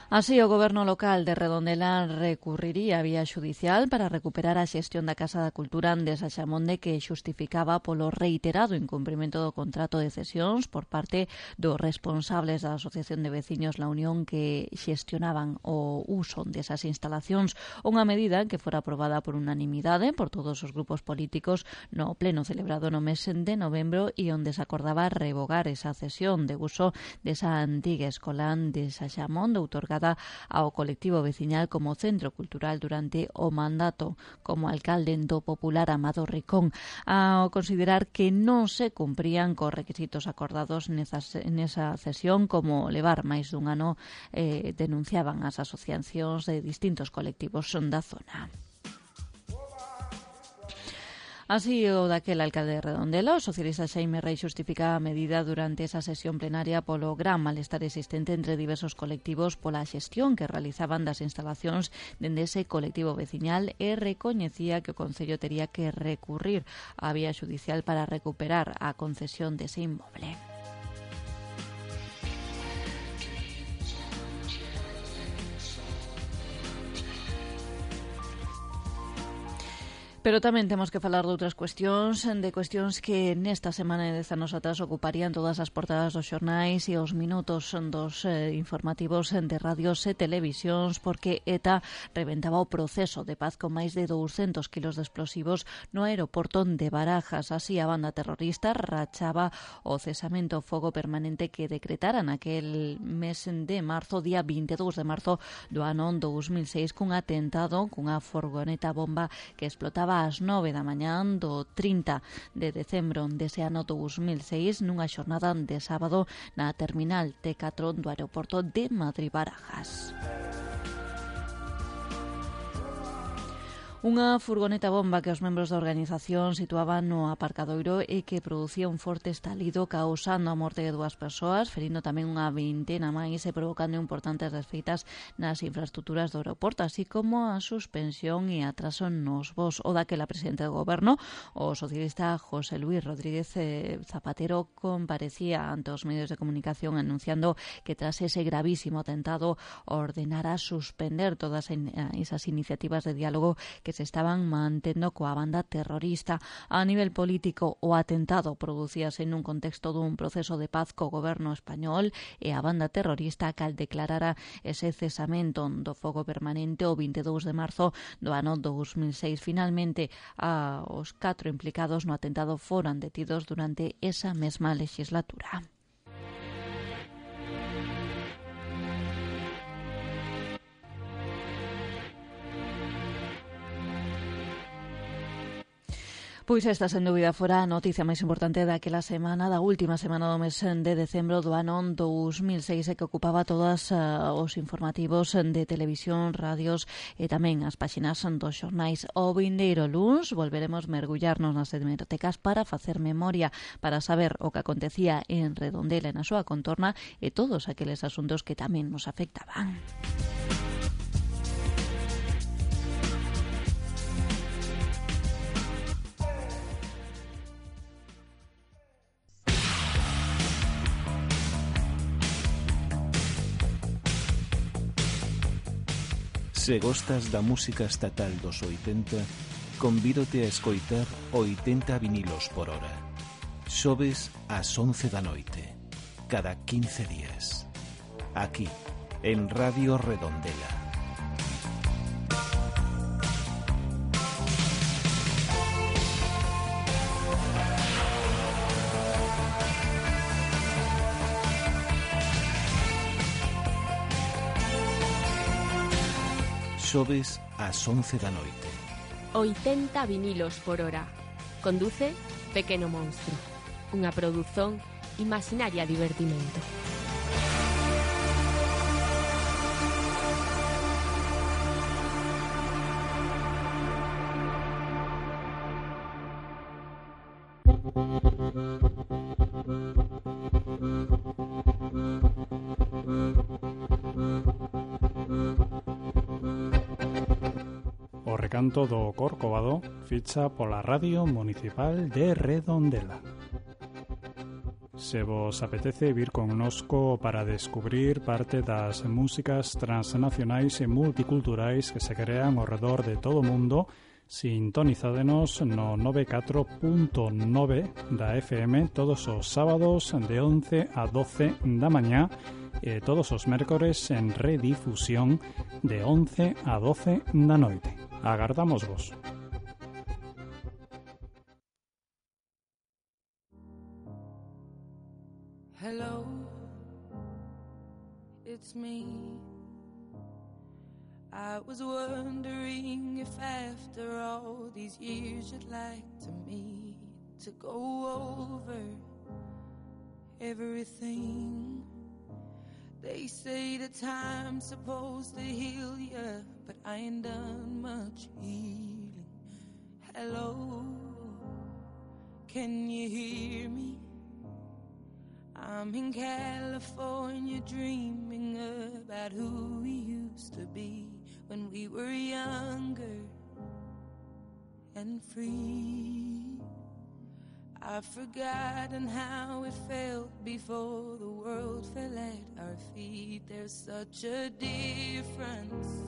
Así, o Goberno local de Redondela recurriría a vía xudicial para recuperar a xestión da Casa da Cultura de Saxamonde, que xustificaba polo reiterado incumprimento do contrato de cesións por parte dos responsables da Asociación de Veciños La Unión que xestionaban o uso desas instalacións, unha medida que fora aprobada por unanimidade por todos os grupos políticos no pleno celebrado no mes de novembro, e onde se acordaba revogar esa cesión de uso desa antiga escola de Saxamonde outorgada ao colectivo veciñal como centro cultural durante o mandato como alcalde do popular Amado Ricón, ao considerar que non se cumprían cos requisitos acordados nesa cesión, como levar máis dun ano, denunciaban as asociacións de distintos colectivos da zona. Así, o daquel alcalde de Redondela, o socialista Xaime Rei, xustificaba a medida durante esa sesión plenaria polo gran malestar existente entre diversos colectivos pola xestión que realizaban das instalacións dende ese colectivo veciñal, e recoñecía que o Concello tería que recurrir á vía xudicial para recuperar a concesión dese inmoble. Pero tamén temos que falar de outras cuestións, de cuestións que nesta semana de 10 anos atrás ocuparían todas as portadas dos xornais e os minutos dos informativos de radios e televisións, porque ETA reventaba o proceso de paz con máis de 200 kilos de explosivos no aeroporto de Barajas. Así, a banda terrorista rachaba o cesamento fogo permanente que decretara naquel mes de marzo, día 22 de marzo do ano 2006, cun atentado cunha furgoneta bomba que explotaba ás 9 da mañán do 30 de decembro dese ano 2006 nunha xornada de sábado na terminal T4 do aeroporto de Madrid-Barajas. Unha furgoneta bomba que os membros da organización situaban no aparcadoiro e que producía un forte estalido causando a morte de 2 persoas, ferindo tamén unha vintena máis e provocando importantes desfeitas nas infraestructuras do aeroporto, así como a suspensión e atraso nos voos. O daquela presidente do goberno, o socialista José Luis Rodríguez Zapatero, comparecía ante os medios de comunicación anunciando que tras ese gravísimo atentado ordenara suspender todas esas iniciativas de diálogo que se estaban mantendo coa banda terrorista. A nivel político, o atentado producíase nun contexto dun proceso de paz co goberno español e a banda terrorista cal declarara ese cesamento do fogo permanente o 22 de marzo do ano 2006. Finalmente, os 4 implicados no atentado foran detidos durante esa mesma legislatura. Pois esta, sen dúbida, fora a noticia máis importante daquela semana, da última semana do mes de decembro do ano 2006, que ocupaba todos os informativos de televisión, radios e tamén as páxinas dos xornais. O vindeiro luns volveremos mergullarnos nas hemerotecas para facer memoria, para saber o que acontecía en Redondela e na súa contorna e todos aqueles asuntos que tamén nos afectaban. Se gostas da música estatal dos 80, convídote a escoitar 80 vinilos por hora. Xoves ás 11 da noite, cada 15 días. Aquí, en Radio Redondela. Xoves ás 11 da noite. 80 vinilos por hora. Conduce Pequeno Monstro. Unha produción Imaginaria Divertimento. Canto do Corcovado ficha pola Radio Municipal de Redondela. Se vos apetece vir connosco para descubrir parte das músicas transnacionais e multiculturais que se crean ao redor de todo o mundo, sintonizádenos no 94.9 da FM todos os sábados de 11 a 12 da mañá e todos os mércores en redifusión de 11 a 12 da noite. Agardamos vos. Hello, it's me. I was wondering if after all these years you'd like to meet, to go over everything. They say that time's supposed to heal ya, but I ain't done much healing. Hello, can you hear me? I'm in California dreaming about who we used to be when we were younger and free. I've forgotten how it felt before the world fell at our feet. There's such a difference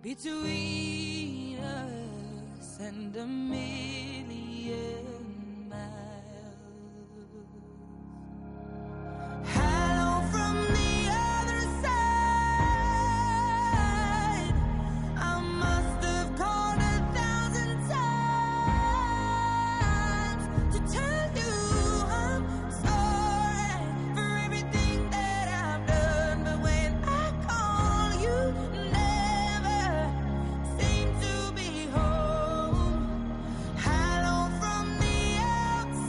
between us and a million miles. Hello from the other side. I must have called 1,000 times to tell you I'm sorry for everything that I've done, but when I call you never seem to be home. Hello from the outside.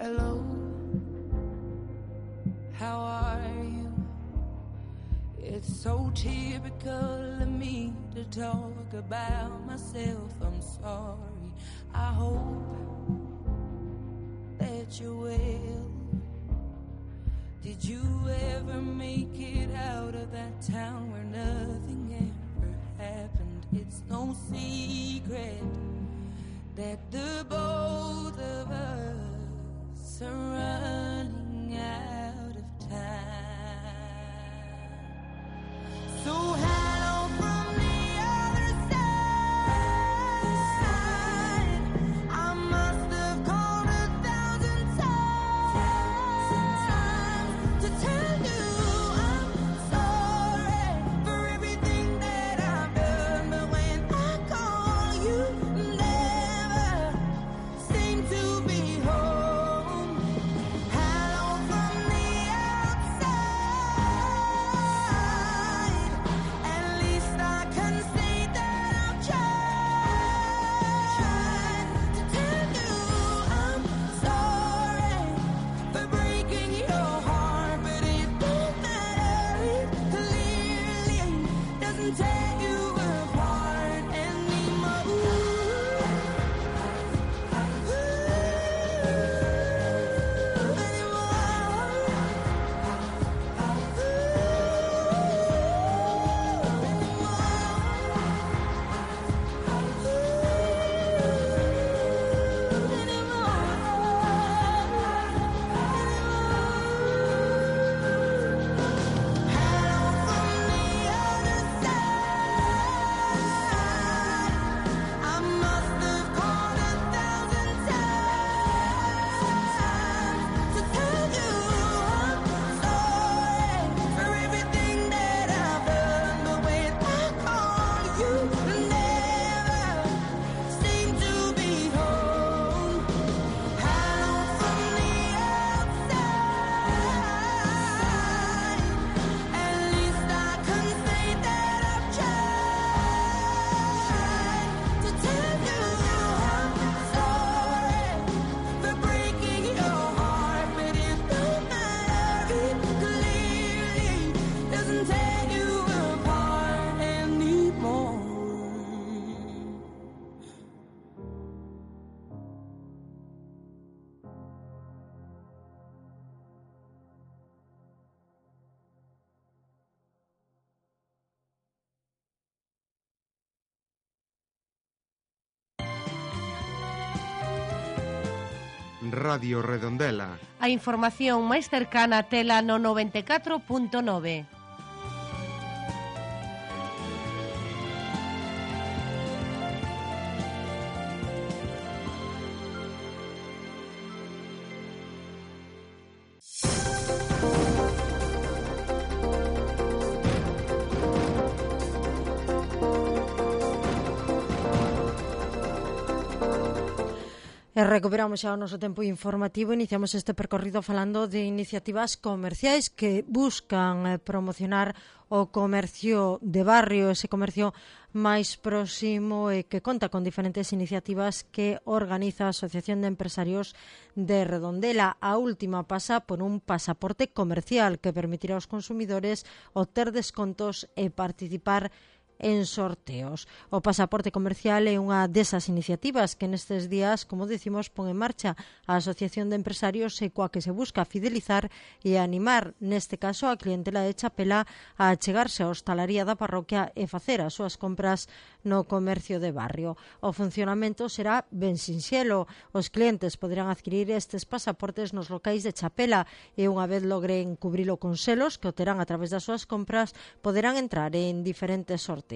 Hello, how are you? It's so typical of me to talk about myself. I'm sorry. I hope that you're well. Did you ever make it out of that town where nothing ever happened? It's no secret that the both of us are running out of time. So hello from the other side. I must have called 1,000 times to tell you I'm sorry for everything that I've done. But when I call, you never seem to be home. Hello from the outside. At least I can say that I've tried to tell you I'm sorry for breaking your heart, but it don't matter. It clearly doesn't tear you apart anymore. I must have called 1,000 times to tell you I'm sorry for everything that I've done. But when I call, you never seem to be home. Hello from the outside. At least I can say that I've tried to tell you I'm sorry for breaking your heart, but it don't matter. It clearly doesn't tear you apart anymore. Radio Redondela. A información máis cercana tela no 94.9. E recuperamos xa o noso tempo informativo. Iniciamos este percorrido falando de iniciativas comerciais que buscan promocionar o comercio de barrio, ese comercio máis próximo e que conta con diferentes iniciativas que organiza a Asociación de Empresarios de Redondela. A última pasa por un pasaporte comercial que permitirá aos consumidores obter descontos e participar en sorteos. O pasaporte comercial é unha desas iniciativas que nestes días, como decimos, pon en marcha a Asociación de Empresarios e coa que se busca fidelizar e animar, neste caso, a clientela de Chapela a achegarse á hostalaría da parroquia e facer as súas compras no comercio de barrio. O funcionamento será ben sinxelo. Os clientes poderán adquirir estes pasaportes nos locais de Chapela e unha vez logren cubrilo con selos que o terán a través das súas compras, poderán entrar en diferentes sorteos.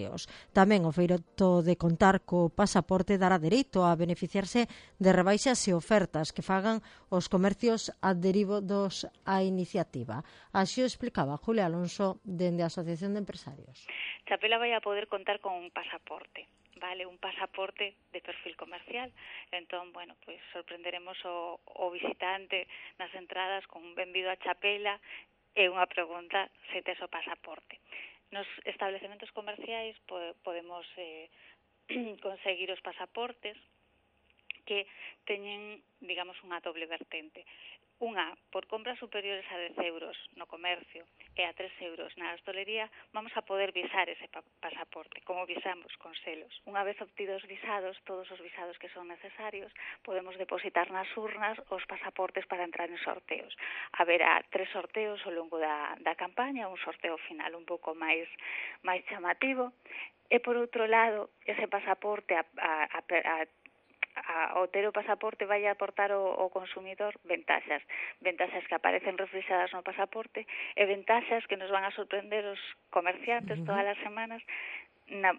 Tamén o feito de contar co pasaporte dará dereito a beneficiarse de rebaixas e ofertas que fagan os comercios adheridos á iniciativa. Así o explicaba Julia Alonso dende a Asociación de Empresarios. Chapela vai a poder contar con un pasaporte, vale, un pasaporte de perfil comercial. Entón, bueno, pues sorprenderemos o visitante nas entradas con un benvido a Chapela e unha pregunta se tes o pasaporte. Nos establecementos comerciais podemos conseguir os pasaportes que teñen, digamos, unha doble vertente. Unha, por compras superiores a 10 euros no comercio e a 3 euros na hostelería, vamos a poder visar ese pasaporte, como visamos con selos. Unha vez obtidos visados, todos os visados que son necesarios, podemos depositar nas urnas os pasaportes para entrar en sorteos. Haberá 3 sorteos ao longo da campaña, un sorteo final un pouco máis chamativo, e por outro lado, ese pasaporte ao ter o pasaporte vai aportar ao consumidor ventaxas que aparecen reflexadas no pasaporte e ventaxas que nos van a sorprender os comerciantes todas as semanas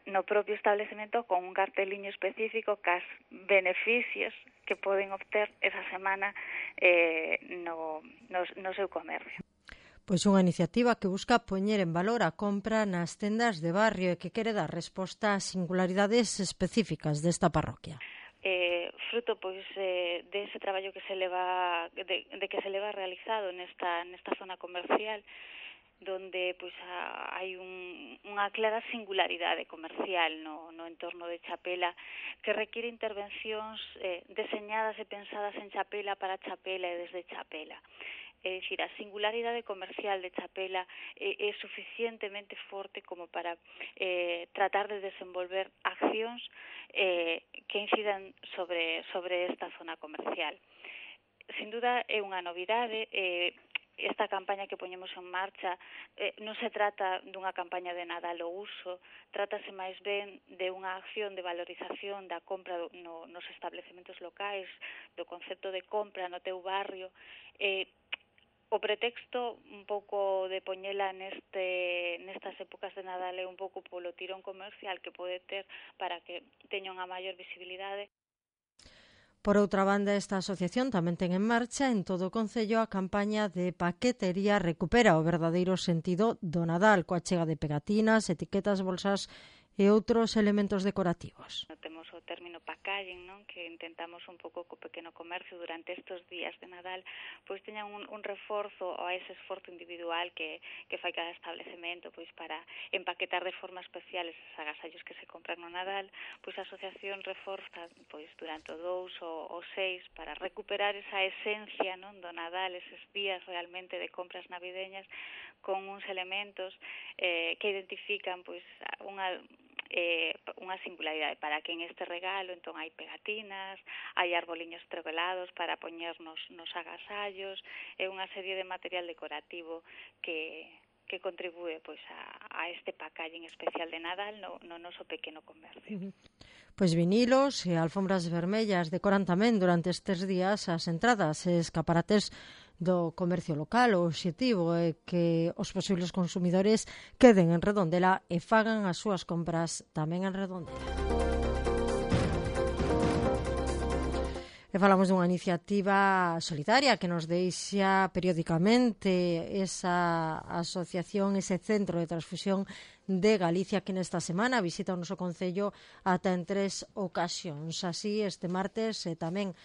no propio establecemento con un carteliño específico cas beneficios que poden obter esa semana no seu comercio. Pois unha iniciativa que busca poñer en valor a compra nas tendas de barrio e que quere dar resposta ás singularidades específicas desta parroquia. Fruto pois de ese traballo que se leva realizado nesta zona comercial, donde pois hai unha clara singularidade comercial no entorno de Chapela que requiere intervencións deseñadas e pensadas en Chapela para Chapela e desde Chapela. É dicir, a singularidade comercial de Chapela é suficientemente forte como para tratar de desenvolver accións que incidan sobre esta zona comercial. Sin duda é unha novidade. Esta campaña que poñemos en marcha non se trata dunha campaña de Nadal ao uso, trátase máis ben de unha acción de valorización da compra nos establecementos locais, do concepto de compra no teu barrio. O pretexto un pouco de poñela nestas épocas de Nadal é un pouco polo tirón comercial que pode ter para que teña unha maior visibilidade. Por outra banda, esta asociación tamén ten en marcha en todo o concello a campaña de paquetería Recupera o verdadeiro sentido do Nadal, coa chega de pegatinas, etiquetas, bolsas e outros elementos decorativos. Temos o término packaging, non? Que intentamos un pouco co pequeno comercio durante estes días de Nadal, pois teñan un reforzo a ese esforzo individual que fai cada establecemento pois para empaquetar de forma especial eses agasallos que se compran no Nadal. Pois a asociación reforza pois durante o 2 ou 6 para recuperar esa esencia, non, do Nadal, eses días realmente de compras navideñas con uns elementos que identifican pois unha singularidade para que en este regalo entón hai pegatinas, hai arboliños estrogelados para poñernos nos agasallos, é unha serie de material decorativo que contribúe pois a este packaging especial de Nadal no noso pequeno comercio. Pois vinilos e alfombras vermellas decoran tamén durante estes días as entradas e escaparates do comercio local. O obxectivo é que os posibles consumidores queden en Redondela e fagan as súas compras tamén en Redondela. E falamos dunha iniciativa solidaria que nos deixa periódicamente esa asociación, ese centro de transfusión de Galicia, que nesta semana visita o noso concello ata en 3 ocasións. Así, este martes e tamén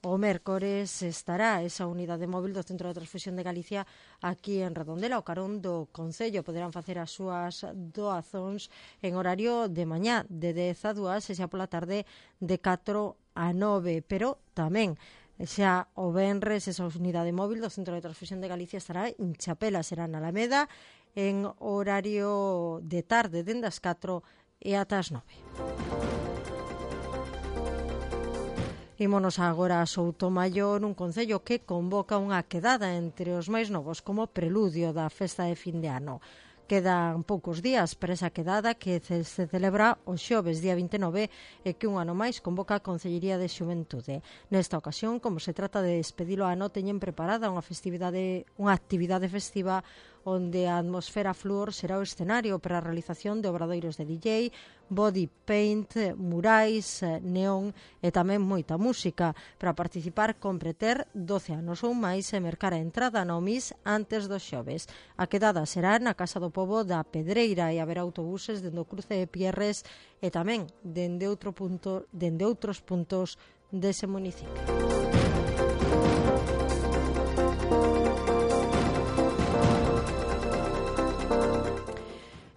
o mércores estará esa unidade móvil do Centro de Transfusión de Galicia aquí en Redondela. O carón do concello poderán facer as súas doazóns en horario de mañá de 10 a 2 e xa pola tarde de 4 a 9, pero tamén xa o venres esa unidade móvil do Centro de Transfusión de Galicia estará en Chapela, será na Alameda en horario de tarde dende as 4 e ata as 9. Ímonos agora a Soutomaior, un concello que convoca unha quedada entre os máis novos como preludio da festa de fin de ano. Quedan poucos días para esa quedada que se celebra o xoves día 29 e que un ano máis convoca a Concellería de Xuventude. Nesta ocasión, como se trata de despedir o ano, teñen preparada unha actividade festiva onde a atmosfera flúor será o escenario para a realización de obradoiros de DJ, body paint, murais, neón e tamén moita música. Para participar compre ter 12 anos ou máis e mercar a entrada no MIS antes do xoves. A quedada será na Casa do Pobo da Pedreira e haberá autobuses dende o cruce de Pierres e tamén dende outros puntos dese municipio.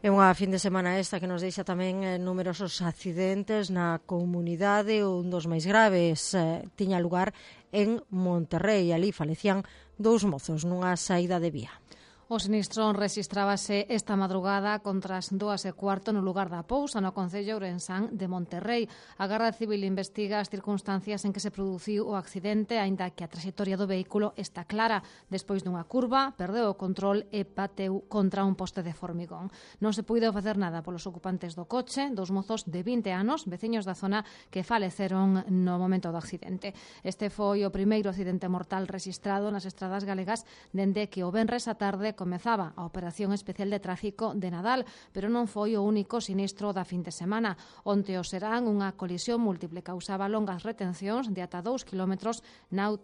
E unha fin de semana esta que nos deixa tamén numerosos accidentes na comunidade. Un dos máis graves tiña lugar en Monterrey. Ali falecían 2 mozos nunha saída de vía. O sinistro rexistrábase esta madrugada contra as 2:15 no lugar da Pousa, no concello ourensán de Monterrey. A Garda Civil investiga as circunstancias en que se produciu o accidente, aínda que a traxectoria do vehículo está clara. Despois dunha curva, perdeu o control e bateu contra un poste de formigón. Non se puido facer nada polos ocupantes do coche, 2 mozos de 20 anos, veciños da zona, que faleceron no momento do accidente. Este foi o primeiro accidente mortal rexistrado nas estradas galegas dende que o venres á tarde comezaba a Operación Especial de Tráfico de Nadal, pero non foi o único sinistro da fin de semana. Onte o serán unha colisión múltiple causaba longas retencións de ata 2 kilómetros na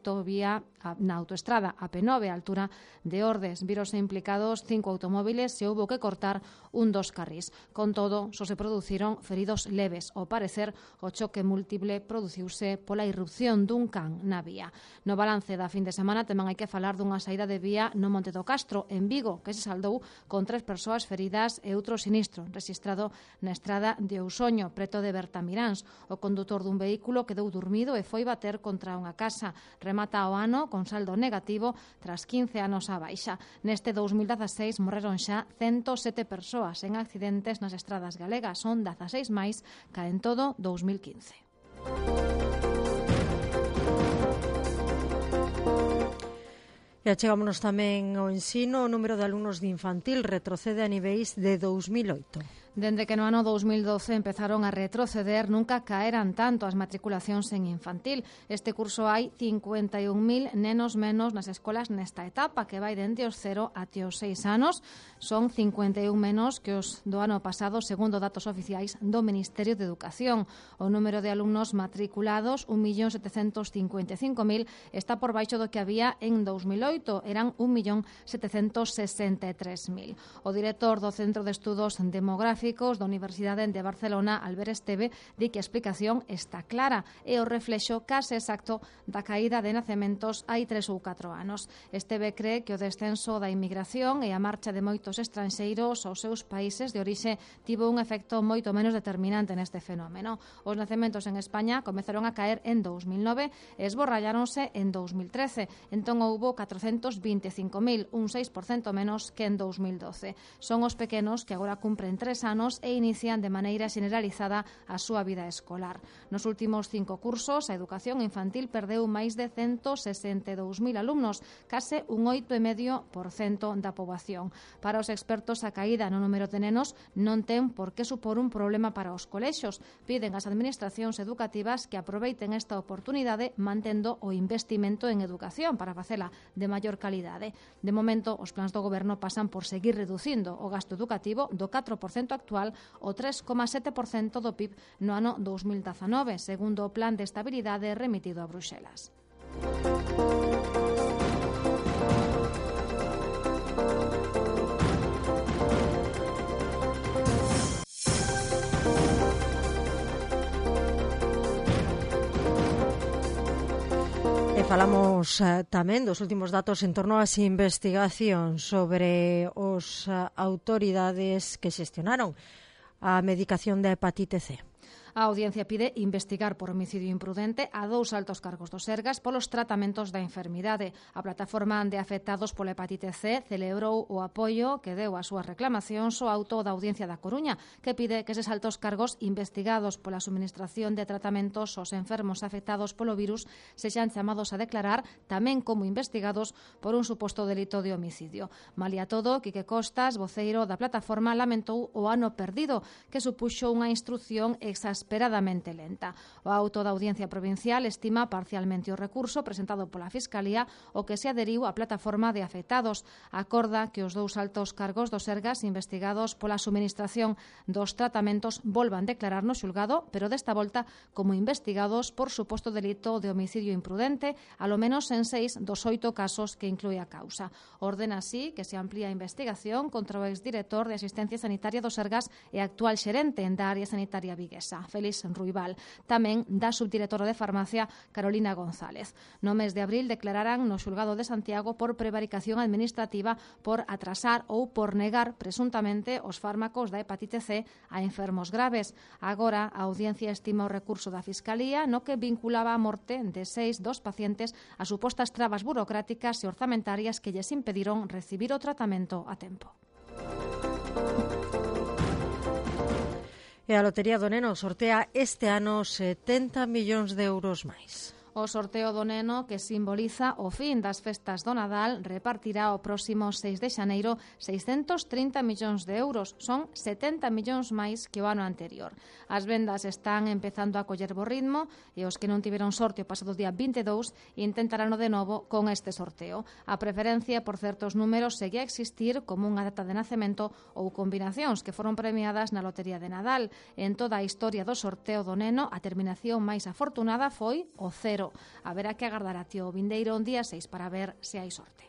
autoestrada a P9 a altura de Ordes. Virose implicados 5 automóviles e houbo que cortar un dos carrís. Con todo, só se produciron feridos leves. Ao parecer, o choque múltiple produciuse pola irrupción dun can na vía. No balance da fin de semana tamén hai que falar dunha saída de vía no Monte do Castro, en Vigo, que se saldou con 3 persoas feridas e outro sinistro rexistrado na estrada de Ousoño, preto de Bertamiráns. O condutor dun vehículo quedou dormido e foi bater contra unha casa. Remata o ano con saldo negativo tras 15 anos á baixa. Neste 2016 morreron xa 107 persoas en accidentes nas estradas galegas. Son 16 máis ca en todo 2015. E achegámonos tamén ao ensino. O número de alumnos de infantil retrocede a niveis de 2008. Dende que no ano 2012 empezaron a retroceder, nunca caeran tanto as matriculacións en infantil. Este curso hai 51.000 nenos menos nas escolas nesta etapa, que vai dende os 0 até os 6 anos. Son 51 menos que os do ano pasado, segundo datos oficiais do Ministerio de Educación. O número de alumnos matriculados, 1.755.000, está por baixo do que había en 2008. Eran 1.763.000. O director do Centro de Estudos Demográficos da Universidade de Barcelona, Albert Esteve, di que a explicación está clara e o reflexo case exacto da caída de nacementos hai 3 ou 4 anos. Esteve cree que o descenso da inmigración e a marcha de moitos estranxeiros aos seus países de orixe tivo un efecto moito menos determinante neste fenómeno. Os nacementos en España comezaron a caer en 2009 e esborralláronse en 2013. Entón houbo 425.000, un 6% menos que en 2012. Son os pequenos que agora cumpren 3 anos e inician de maneira generalizada a súa vida escolar. Nos últimos 5 cursos, a educación infantil perdeu máis de 162.000 alumnos, case un 8,5% da poboación. Para os expertos, a caída no número de nenos non ten por que supor un problema para os colexos. Piden ás administracións educativas que aproveiten esta oportunidade mantendo o investimento en educación para facela de maior calidade. De momento, os plans do goberno pasan por seguir reducindo o gasto educativo do 4% actual o 3,7% do PIB no ano 2019, segundo o Plan de Estabilidade remitido a Bruxelas. Falamos tamén dos últimos datos en torno ás investigacións sobre os autoridades que xestionaron a medicación da hepatite C. A Audiencia pide investigar por homicidio imprudente a 2 altos cargos do Sergas polos tratamentos da enfermidade. A plataforma de afectados pola hepatite C celebrou o apoio que deu ás súas reclamacións ao auto da Audiencia da Coruña, que pide que eses altos cargos investigados pola suministración de tratamentos aos enfermos afectados polo virus sexan chamados a declarar tamén como investigados por un suposto delito de homicidio. Malia todo, Quique Costas, voceiro da plataforma, lamentou o ano perdido, que supuxo unha instrucción exasperadamente lenta. O auto da Audiencia Provincial estima parcialmente o recurso presentado pola Fiscalía, o que se aderiu á plataforma de afectados. Acorda que os 2 altos cargos do Sergas investigados pola suministración dos tratamentos volvan declarar no xulgado, pero desta volta como investigados por suposto delito de homicidio imprudente, alo menos en 6 dos 8 casos que inclúe a causa. Ordena así que se amplía a investigación contra o exdirector de Asistencia Sanitaria do Sergas e actual xerente da área sanitaria viguesa. Félix Ruibal. Tamén da subdirectora de Farmacia, Carolina González. No mes de abril declararan no xulgado de Santiago por prevaricación administrativa por atrasar ou por negar presuntamente os fármacos da hepatite C a enfermos graves. Agora, a audiencia estima o recurso da Fiscalía no que vinculaba a morte de 6 dos pacientes a supostas trabas burocráticas e orzamentarias que lles impediron recibir o tratamento a tempo. E a Lotería do Neno sortea este ano 70 millóns de euros máis. O sorteo do Neno, que simboliza o fin das festas do Nadal, repartirá o próximo 6 de xaneiro 630 millóns de euros. Son 70 millóns máis que o ano anterior. As vendas están empezando a coller bo ritmo e os que non tiveron sorte o pasado día 22 intentarán de novo con este sorteo. A preferencia por certos números segue a existir como unha data de nacemento ou combinacións que foron premiadas na Lotería de Nadal. En toda a historia do sorteo do Neno, a terminación máis afortunada foi o 0. Haberá que agardar a o vindeiro un día 6 para ver se hai sorte.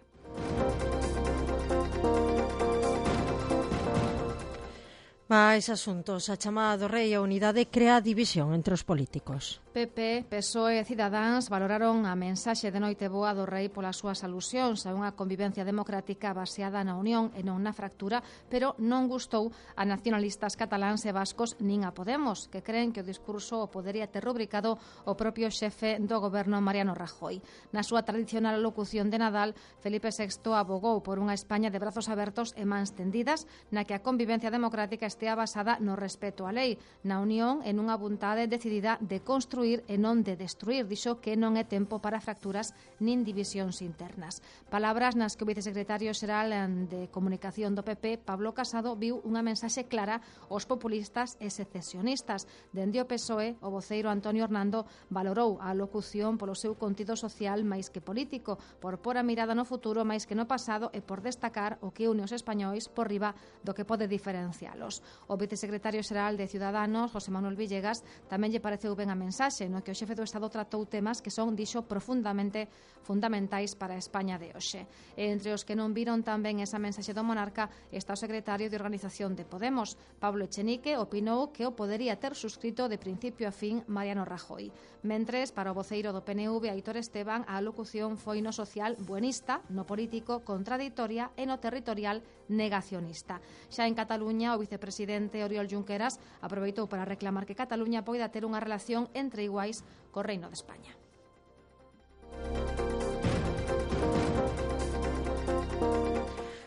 Mais asuntos. A chamada do Rei e a unidade crea división entre os políticos. PP, PSOE e Cidadáns valoraron a mensaxe de Noiteboa do Rei polas súas alusións a unha convivencia democrática baseada na unión e non na fractura, pero non gustou a nacionalistas cataláns e vascos nin a Podemos, que creen que o discurso o podería ter rubricado o propio xefe do goberno Mariano Rajoy. Na súa tradicional locución de Nadal, Felipe VI abogou por unha España de brazos abertos e mans tendidas, na que a convivencia democrática estea basada no respeto á lei, na unión e nunha vontade decidida de construir e non de destruir. Dixo que non é tempo para fracturas nin divisións internas. Palabras nas que o vicesecretario xeral de Comunicación do PP, Pablo Casado, viu unha mensaxe clara aos populistas e secesionistas. Dende o PSOE, o voceiro Antonio Hernando valorou a locución polo seu contido social máis que político, por pôr a mirada no futuro máis que no pasado e por destacar o que une os españois por riba do que pode diferencialos. O vicesecretario xeral de Ciudadanos, José Manuel Villegas, tamén lle pareceu ben a mensaxe no que o xefe do Estado tratou temas que son, dixo, profundamente fundamentais para a España de hoxe. E entre os que non viron tamén esa mensaxe do monarca está o secretario de Organización de Podemos. Pablo Echenique opinou que o podería ter suscrito de principio a fin Mariano Rajoy. Mentres, para o voceiro do PNV, Aitor Esteban, a alocución foi no social buenista, no político contradictoria e no territorial negacionista. Xa en Cataluña, o vicepresidente Oriol Junqueras aproveitou para reclamar que Cataluña poida ter unha relación entre iguais co Reino de España.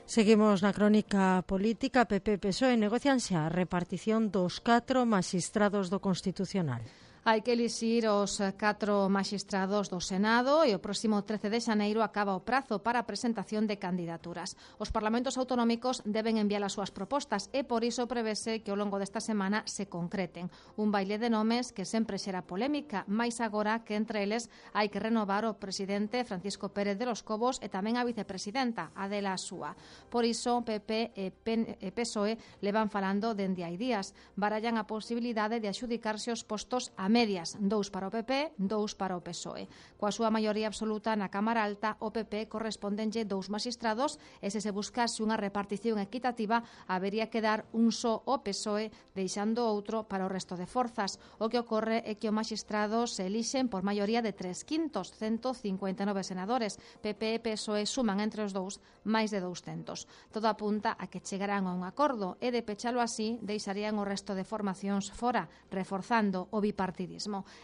Seguimos na crónica política. PP e PSOE negocian xa a repartición dos 4 maxistrados do Constitucional. Hai que elixir os 4 maxistrados do Senado e o próximo 13 de xaneiro acaba o prazo para a presentación de candidaturas. Os parlamentos autonómicos deben enviar as súas propostas e por iso prevese que ao longo desta semana se concreten. Un baile de nomes que sempre xera polémica, máis agora que entre eles hai que renovar o presidente Francisco Pérez de los Cobos e tamén a vicepresidenta Adela Asúa. Por iso, PP e PSOE levan falando dende hai días. Barallan a posibilidade de adxudicarse os postos a medias, 2 para o PP, 2 para o PSOE. Coa súa maioría absoluta na Cámara Alta, o PP correspondenlle 2 magistrados e se buscase unha repartición equitativa, habería que dar un só ao PSOE, deixando outro para o resto de forzas. O que ocorre é que os magistrados se elixen por maioría de 3/5, 159 senadores. PP e PSOE suman entre os dous máis de 200. Todo apunta a que chegarán a un acordo e de pechalo así deixarían o resto de formacións fora, reforzando o bipartidismo.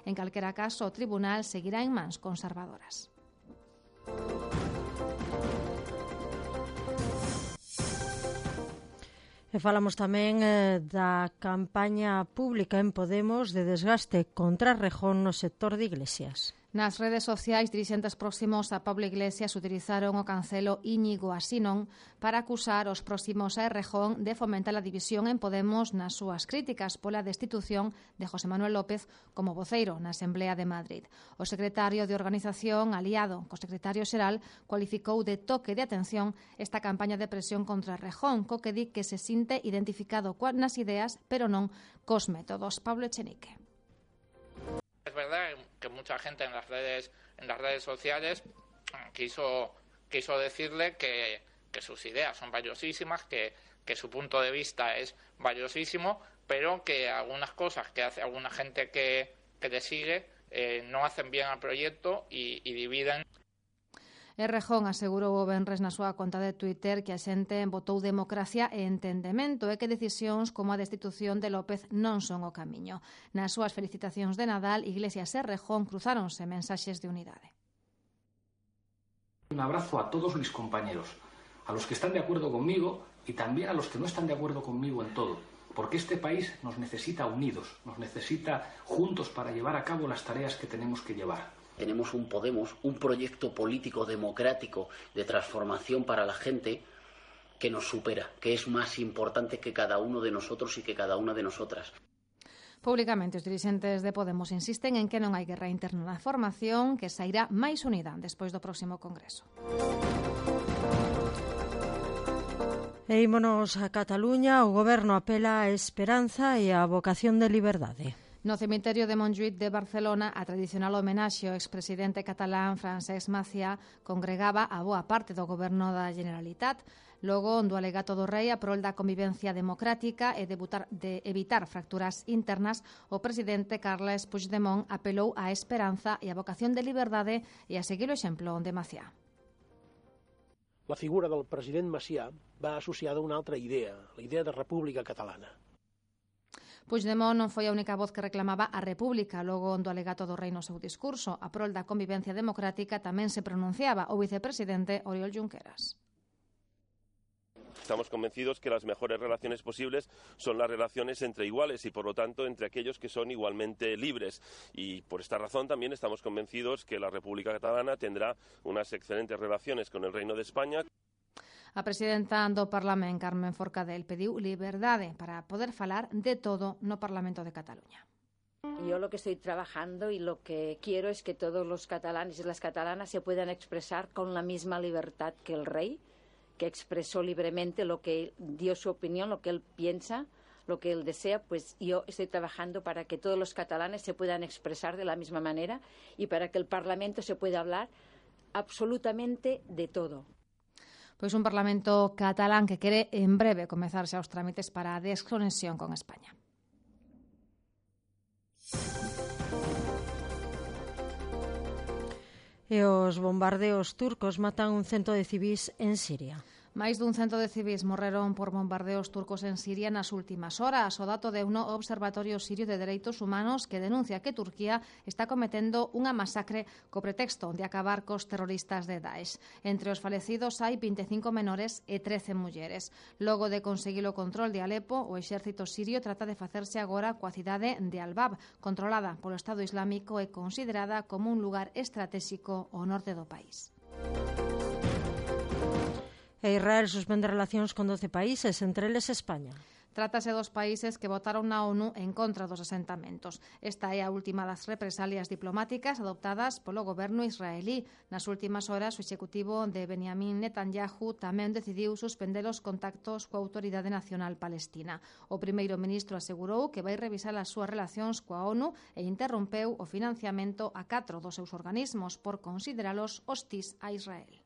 En calquera caso, o tribunal seguirá en mans conservadoras. E falamos tamén da campaña pública en Podemos de desgaste contra Rejón no sector de Iglesias. Nas redes sociais, dirixentes próximos a Pablo Iglesias utilizaron o cancelo Íñigo Asinón para acusar os próximos a Errejón de fomentar a división en Podemos nas súas críticas pola destitución de José Manuel López como voceiro na Asamblea de Madrid. O secretario de Organización, aliado co secretario xeral, cualificou de toque de atención esta campaña de presión contra Errejón, co que di que se sinte identificado nas ideas, pero non cos métodos. Pablo Echenique. Es verdad que mucha gente en las redes sociales quiso decirle que sus ideas son valiosísimas, que su punto de vista es valiosísimo, pero que algunas cosas que hace alguna gente que le sigue non hacen bien ao proxecto e dividen. Errejón asegurou o venres na súa conta de Twitter que a xente votou democracia e entendemento e que decisións como a destitución de López non son o camiño. Nas súas felicitacións de Nadal, Iglesias e Errejón cruzáronse mensaxes de unidade. Un abrazo a todos mis compañeros, a los que están de acuerdo conmigo y también a los que no están de acuerdo conmigo en todo, porque este país nos necesita unidos, nos necesita juntos para llevar a cabo las tareas que tenemos que llevar. Tenemos un Podemos, un proyecto político democrático de transformación para la gente que nos supera, que es más importante que cada uno de nosotros y que cada una de nosotras. Públicamente, os dirixentes de Podemos insisten en que non hai guerra interna na formación, que sairá máis unida despois do próximo Congreso. E ímonos a Cataluña, o Goberno apela á esperanza e á vocación de liberdade. No cemiterio de Montjuïc de Barcelona, a tradicional homenaxe ao expresidente catalán Francesc Macià congregaba a boa parte do goberno da Generalitat. Logo, do alegato do rei a prol da convivencia democrática e de evitar fracturas internas, o presidente Carles Puigdemont apelou á esperanza e á vocación de liberdade e a seguir o exemplo de Macià. La figura del president Macià va associada a una altra idea, la idea de república catalana. Puigdemont non foi a única voz que reclamaba a República. Logo, do alegato do rei no seu discurso, a prol da convivencia democrática tamén se pronunciaba o vicepresidente Oriol Junqueras. Estamos convencidos que las mejores relaciones posibles son las relaciones entre iguales y, por lo tanto, entre aquellos que son igualmente libres. Y por esta razón también estamos convencidos que la República Catalana tendrá unas excelentes relaciones con el Reino de España. A presidenta do Parlamento, Carmen Forcadell, pediu liberdade para poder falar de todo no Parlamento de Cataluña. Yo lo que estoy trabajando y lo que quiero es que todos los catalanes y las catalanas se puedan expresar con la misma libertad que el rey, que expresó libremente lo que dio su opinión, lo que él piensa, lo que él desea. Pues yo estoy trabajando para que todos los catalanes se puedan expresar de la misma manera y para que el Parlamento se pueda hablar absolutamente de todo. Pois un Parlamento catalán que quere en breve comezarse aos trámites para a desconexión con España. E os bombardeos turcos matan un cento de civís en Siria. Máis dun cento de civís morreron por bombardeos turcos en Siria nas últimas horas. O dato de un observatorio sirio de dereitos humanos que denuncia que Turquía está cometendo unha masacre co pretexto de acabar cos terroristas de Daesh. Entre os falecidos hai 25 menores e 13 mulleres. Logo de conseguir o control de Alepo, o exército sirio trata de facerse agora coa cidade de Al-Bab, controlada polo Estado Islámico e considerada como un lugar estratégico ao norte do país. E Israel suspende relacións con 12 países, entre eles España. Trátase dos países que votaron na ONU en contra dos asentamentos. Esta é a última das represalias diplomáticas adoptadas polo goberno israelí. Nas últimas horas, o executivo de Benjamin Netanyahu tamén decidiu suspender os contactos coa Autoridade Nacional Palestina. O primeiro ministro asegurou que vai revisar as súas relacións coa ONU e interrompeu o financiamento a 4 dos seus organismos por consideralos hostís a Israel.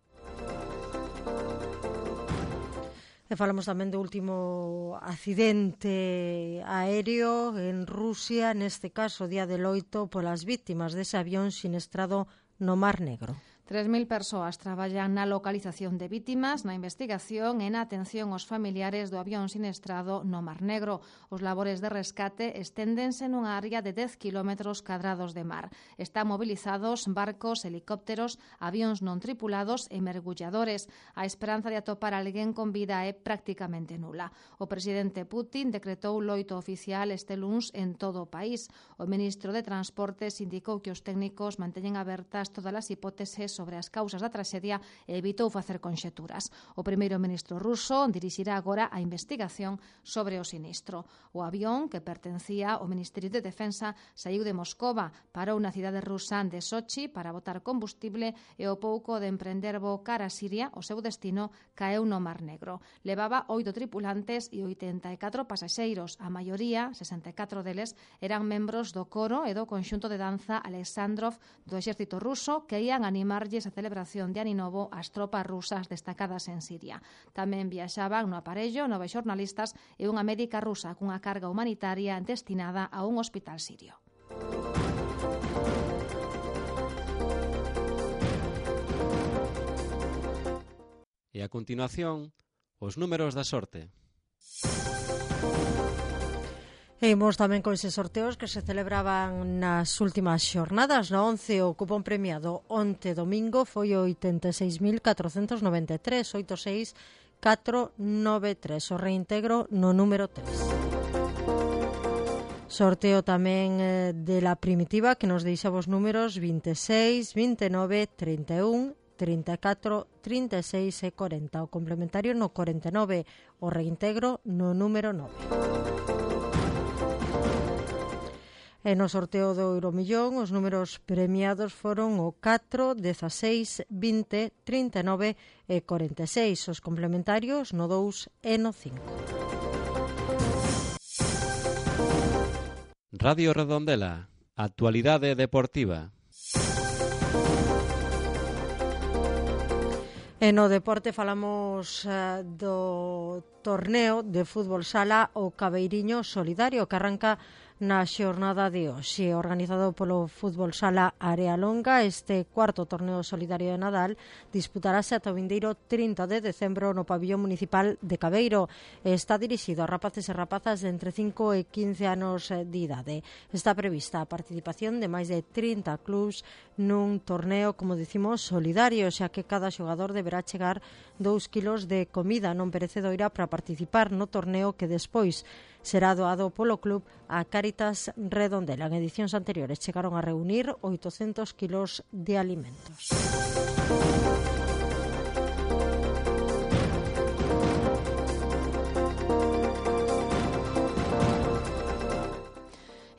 E falamos tamén do último accidente aéreo en Rusia, neste caso día de loito polas vítimas dese avión siniestrado no Mar Negro. 3.000 persoas traballan na localización de vítimas, na investigación e na atención aos familiares do avión siniestrado no Mar Negro. Os labores de rescate esténdense nunha área de 10 kilómetros cadrados de mar. Están movilizados barcos, helicópteros, avións non tripulados e mergulladores. A esperanza de atopar alguén con vida é prácticamente nula. O presidente Putin decretou loito oficial este luns en todo o país. O ministro de Transportes indicou que os técnicos manteñen abertas todas as hipóteses sobre as causas da traxedia e evitou facer conxeturas. O primeiro ministro ruso dirixirá agora a investigación sobre o sinistro. O avión, que pertencía ao Ministerio de Defensa, saiu de Moscova, parou na cidade rusa de Sochi para botar combustible e ao pouco de emprender voo cara a Siria, o seu destino caeu no Mar Negro. Levaba 8 tripulantes e 84 pasaxeiros. A maioría, 64 deles, eran membros do coro e do conxunto de danza Alexandrov do exército ruso que ían animar levarlles a celebración de Ano Novo ás tropas rusas destacadas en Siria. Tamén viaxaban no aparello 9 xornalistas e unha médica rusa cunha carga humanitaria destinada a un hospital sirio. E a continuación, os números da sorte. E imos tamén con eses sorteos que se celebraban nas últimas xornadas. No 11 o cupón premiado onte domingo foi 86.493, 86493, o reintegro no número 3. Sorteo tamén de la primitiva que nos deixa os números 26, 29, 31, 34, 36 e 40. O complementario no 49, o reintegro no número 9. E no sorteo do Euromillón os números premiados foron o 4, 16, 20, 39 e 46. Os complementarios no 2 e no 5. Radio Redondela, actualidade deportiva. E no deporte falamos do torneo de fútbol sala o Cabeiriño Solidario que arranca na xornada de hoxe, organizado polo Fútbol Sala Área Longa. Este cuarto torneo solidario de Nadal disputarase ata o vindeiro 30 de decembro no pabillón municipal de Cabeiro. Está dirixido a rapaces e rapazas de entre 5 e 15 anos de idade. Está prevista a participación de máis de 30 clubs nun torneo, como dicimos, solidario, xa que cada xogador deberá chegar 2 kilos de comida non perecedoira para participar no torneo que despois será doado polo club a Cáritas Redondela. En edicións anteriores chegaron a reunir 800 kilos de alimentos.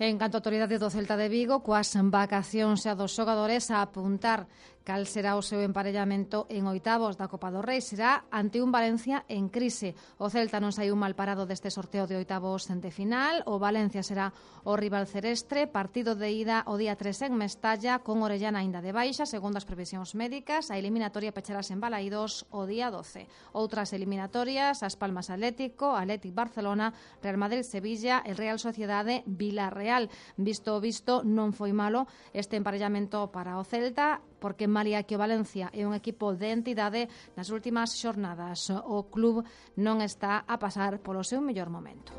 En canto a autoridade do Celta de Vigo, coas vacacións a dos xogadores a apuntar cal será o seu emparellamento en oitavos da Copa do Rei, será ante un Valencia en crise. O Celta non saiu mal parado deste sorteo de oitavos de final. O Valencia será o rival cerestre, partido de ida o día 3 en Mestalla, con Orellana aínda de baixa, segundo as previsións médicas. A eliminatoria pecharase en Balaídos o día 12. Outras eliminatorias, As Palmas Atlético, Atlético Barcelona, Real Madrid Sevilla e Real Sociedade Villarreal. Visto non foi malo este emparellamento para o Celta, porque malia que o Valencia é un equipo de entidade, nas últimas xornadas o club non está a pasar polo seu mellor momento.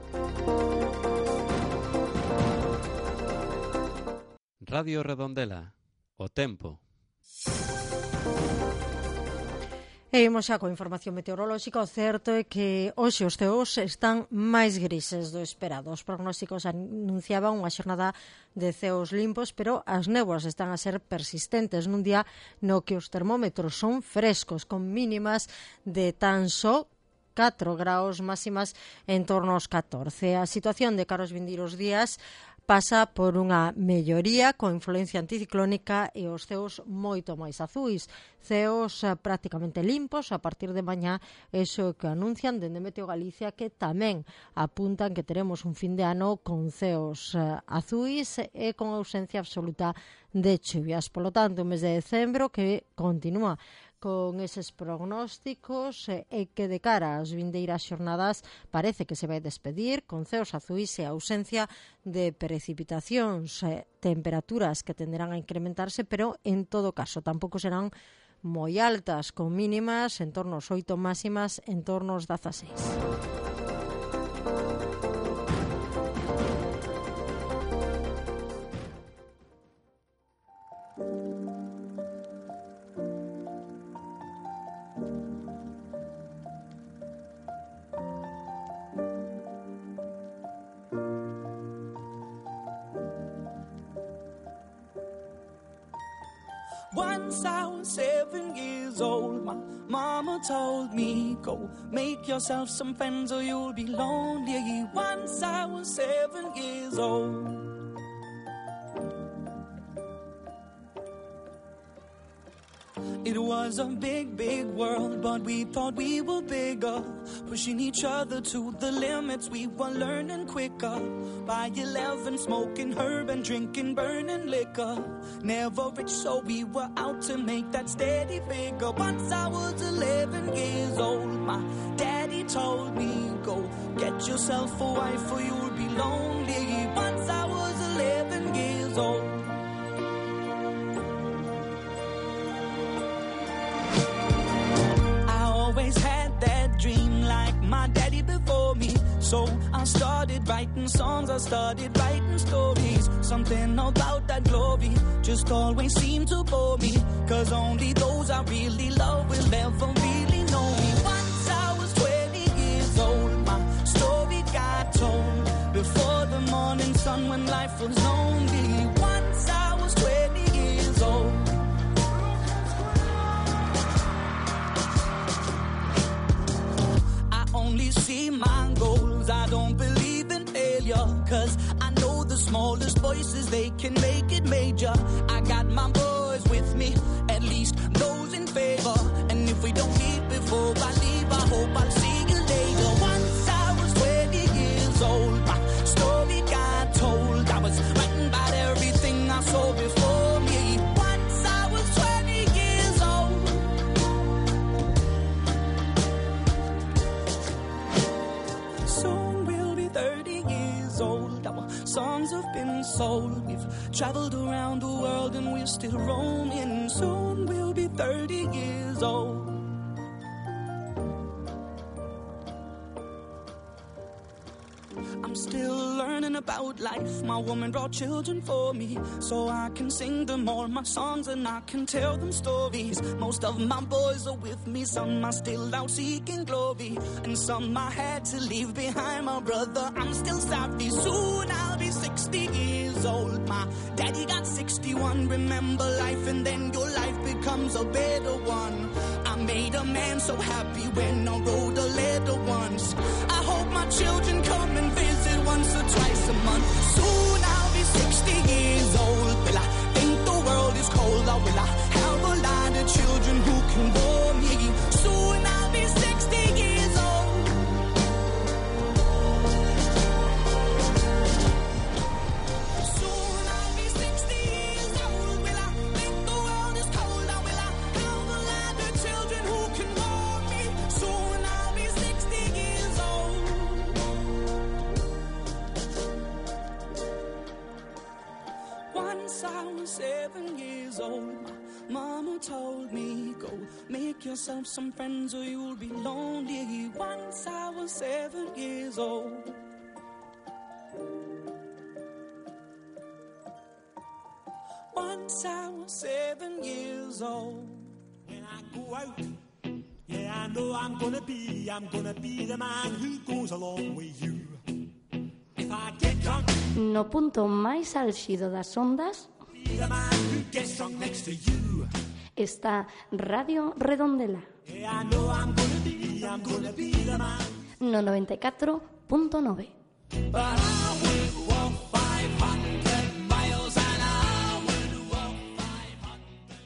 Radio Redondela, o tempo. E imos xa coa información meteorolóxica. O certo é que hoxe os ceos están máis grises do esperado. Os prognósticos anunciaban unha xornada de ceos limpos, pero as néboas están a ser persistentes nun día no que os termómetros son frescos, con mínimas de tan só 4 graus, máximas en torno aos 14. A situación de cara aos vindeiros días pasa por unha melloría con influencia anticiclónica e os ceos moito máis azuis. Ceos prácticamente limpos a partir de mañá, eso que anuncian dende Meteo Galicia, que tamén apuntan que teremos un fin de ano con ceos azuis e con ausencia absoluta de chuvias. Por lo tanto, un mes de decembro que continúa con eses prognósticos e que de cara ás vindeiras xornadas parece que se vai despedir con ceos azuis e ausencia de precipitacións, temperaturas que tenderán a incrementarse, pero en todo caso tampouco serán moi altas, con mínimas en torno aos 8, máximas en torno aos 16. Once I was 7 years old, my mama told me, go make yourself some friends or you'll be lonely. Once I was 7 years old. It was a big, big world, but we thought we were bigger. Pushing each other to the limits, we were learning quicker. By 11, smoking herb and drinking burning liquor. Never rich, so we were out to make that steady figure. Once I was 11 years old, my daddy told me, go get yourself a wife or you'll be lonely. Once I was 11 years old. Always had that dream like my daddy before me. So I started writing songs, I started writing stories. Something about that glory just always seemed to bore me. Cause only those I really love will ever really know me. Once I was 20 years old, my story got told. Before the morning sun when life was lonely. Once I was 20 years old. Only see my goals, I don't believe in failure. Cause I know the smallest voices, they can make it major. I got my boys with me, at least those in favor. And if we don't meet before I leave, I hope I'll see you later. Once I was 20 years old, my story got told. I was writing about everything I saw before me. Once I was 20 years old. Soon we'll be 30 years old. Our songs have been sold. We've traveled around the world and we're still roaming. Soon we'll be 30 years old. I'm still learning about life. My woman brought children for me, so I can sing them all my songs and I can tell them stories. Most of my boys are with me, some are still out seeking glory, and some I had to leave behind. My brother, I'm still sorry. Soon I'll be 60 years old. My daddy got 61. Remember life and then your life becomes a better one. I made a man so happy when I wrote a letter once. I hope my children come and visit once or twice a month. Soon I'll be 60 years old. Will I think the world is cold, or will I have a lot of children who can bore me? Soon I'll be 60 years old. Soon I'll be 60 years old. Will I think the world is cold, or will I have a lot of children who can bore me? Soon I'll be 60 years old. Once I was 7 years old, my mama told me, go make yourself some friends or you'll be lonely. Once I was 7 years old. Once I was 7 years old. When I go out, yeah, I know I'm gonna be the man who goes along with you. If I get drunk, No punto máis álxido das ondas be the man who gets drunk next to you. está Radio Redondela, Yeah, I know I'm gonna be the man. no 94.9. But I would walk 500 miles and I would walk 500.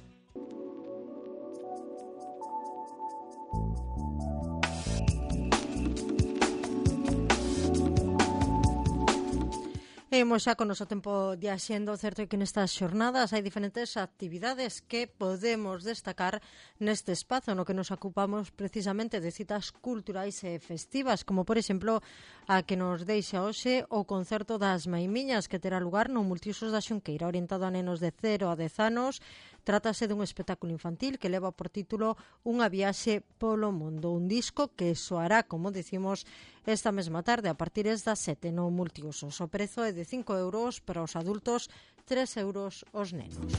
Imos xa con noso tempo de axendo. Certo é que nestas xornadas hai diferentes actividades que podemos destacar neste espazo no que nos ocupamos precisamente de citas culturais e festivas, como por exemplo a que nos deixa hoxe o concerto das Maimiñas, que terá lugar no Multiusos da Xunqueira, orientado a nenos de 0 a 10 anos. Trátase dun espectáculo infantil que leva por título Unha viaxe polo mundo, un disco que soará, como decimos, esta mesma tarde a partir das 7 no Multiusos. O prezo é de 5 euros para os adultos, 3 euros os nenos.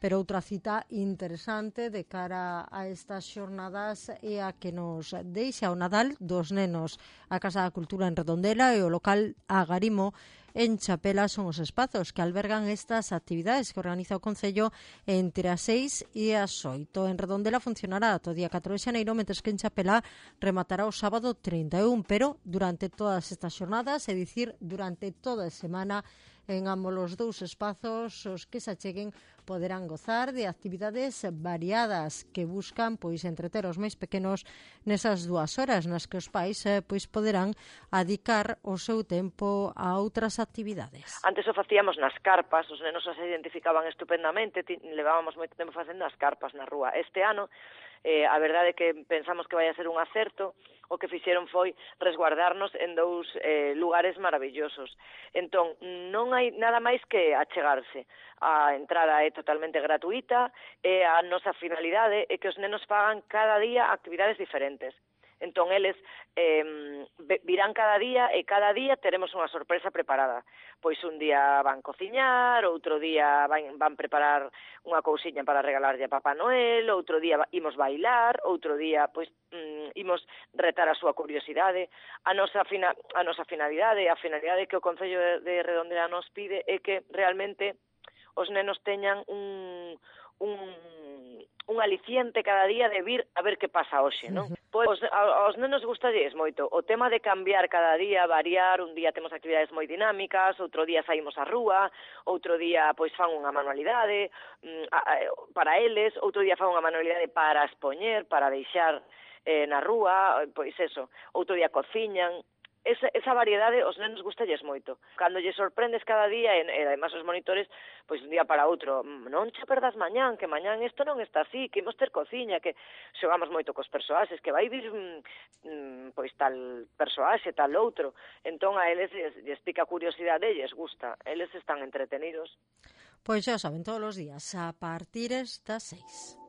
Pero outra cita interesante de cara a estas xornadas é a que nos deixa o Nadal dos nenos. A Casa da Cultura en Redondela e o local Agarimo en Chapela son os espazos que albergan estas actividades que organiza o Concello entre as 6 e as 8. En Redondela funcionará ata o día 4 de xaneiro, mentres que en Chapela rematará o sábado 31, pero durante todas estas xornadas, é dicir, durante toda a semana, En ambos os dous espazos, os que se acheguen poderán gozar de actividades variadas que buscan pois entreter os máis pequenos nesas 2 horas nas que os pais pois poderán adicar o seu tempo a outras actividades. Antes o facíamos nas carpas, os nenos se identificaban estupendamente, levábamos moito tempo facendo as carpas na rúa. Este ano, a verdade é que pensamos que vai a ser un acerto, o que fixeron foi resguardarnos en 2 lugares maravillosos. Entón, non hai nada máis que achegarse. A entrada é totalmente gratuita e a nosa finalidade é que os nenos fagan cada día actividades diferentes. Entón, eles virán cada día e cada día teremos unha sorpresa preparada. Pois un día van cociñar, outro día van preparar unha cousiña para regalarlle a Papá Noel, outro día imos bailar, outro día pois imos retar a súa curiosidade. A nosa finalidade, a finalidade que o Concello de Redondela nos pide é que realmente os nenos teñan un aliciente cada día de vir a ver que pasa hoxe, non? Pois aos nenos gustalles moito o tema de cambiar cada día, variar, un día temos actividades moi dinámicas, outro día saímos á rúa, outro día pois fan unha manualidade para eles, outro día fan unha manualidade para expoñer, para deixar na rúa, pois eso, outro día cociñan. Esa variedade os nenos gustalles moito. Cando lle sorprendes cada día, e además os monitores, pois un día para outro, non che perdas mañán, que mañán isto non está así, que imos ter cociña, que xogamos moito cos persoaxes, que vai vir pois tal persoaxe, tal outro. Entón a eles lles pica a curiosidade e lles gusta. Eles están entretenidos. Pois xa saben, todos os días, a partir das 6.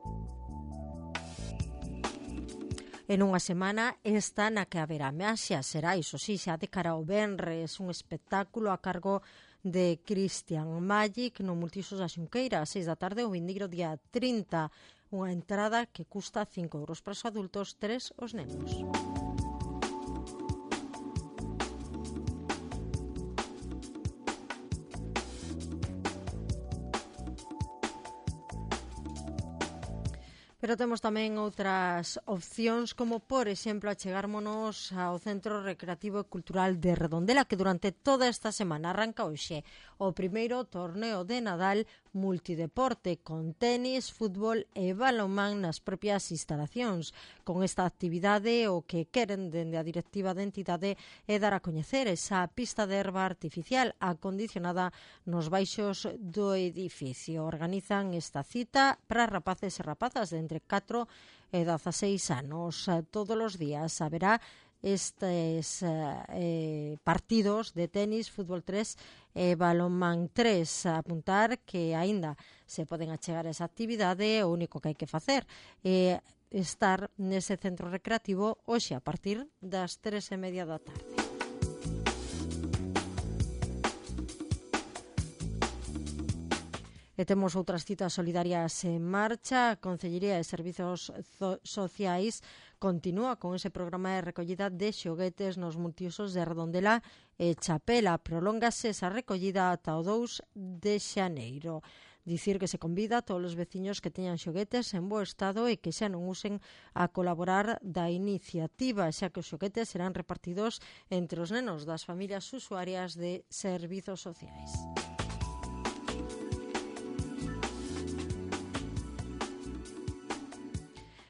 En unha semana esta na que haberá maxia, será iso sí, xa de cara ao venres, un espectáculo a cargo de Christian Magic no Multiusos da Xunqueira, a 6 da tarde o vindeiro día 30, unha entrada que custa 5 euros para os adultos, 3 os nenos. Pero temos tamén outras opcións, como, por exemplo, achegármonos ao Centro Recreativo e Cultural de Redondela, que durante toda esta semana arranca hoxe o primeiro torneo de Nadal multideporte, con tenis, fútbol e balonmán nas propias instalacións. Con esta actividade, o que queren dende a directiva da entidade é dar a coñecer esa pista de herba artificial acondicionada nos baixos do edificio. Organizan esta cita para rapaces e rapazas de entre 4 e 16 anos. Todos os días haberá estes partidos de tenis, fútbol 3 e balonmán 3. Apuntar que aínda se poden achegar a esa actividade, o único que hai que facer é estar nese centro recreativo hoxe a partir das 3:30 da tarde. E temos outras citas solidarias en marcha. A Concellería de Servizos Sociais continúa con ese programa de recollida de xoguetes nos multiusos de Redondela e Chapela. Prolóngase esa recollida ata o 2 de xaneiro. Dicir que se convida a todos os veciños que teñan xoguetes en bo estado e que xa non usen a colaborar da iniciativa, xa que os xoguetes serán repartidos entre os nenos das familias usuarias de servizos sociais.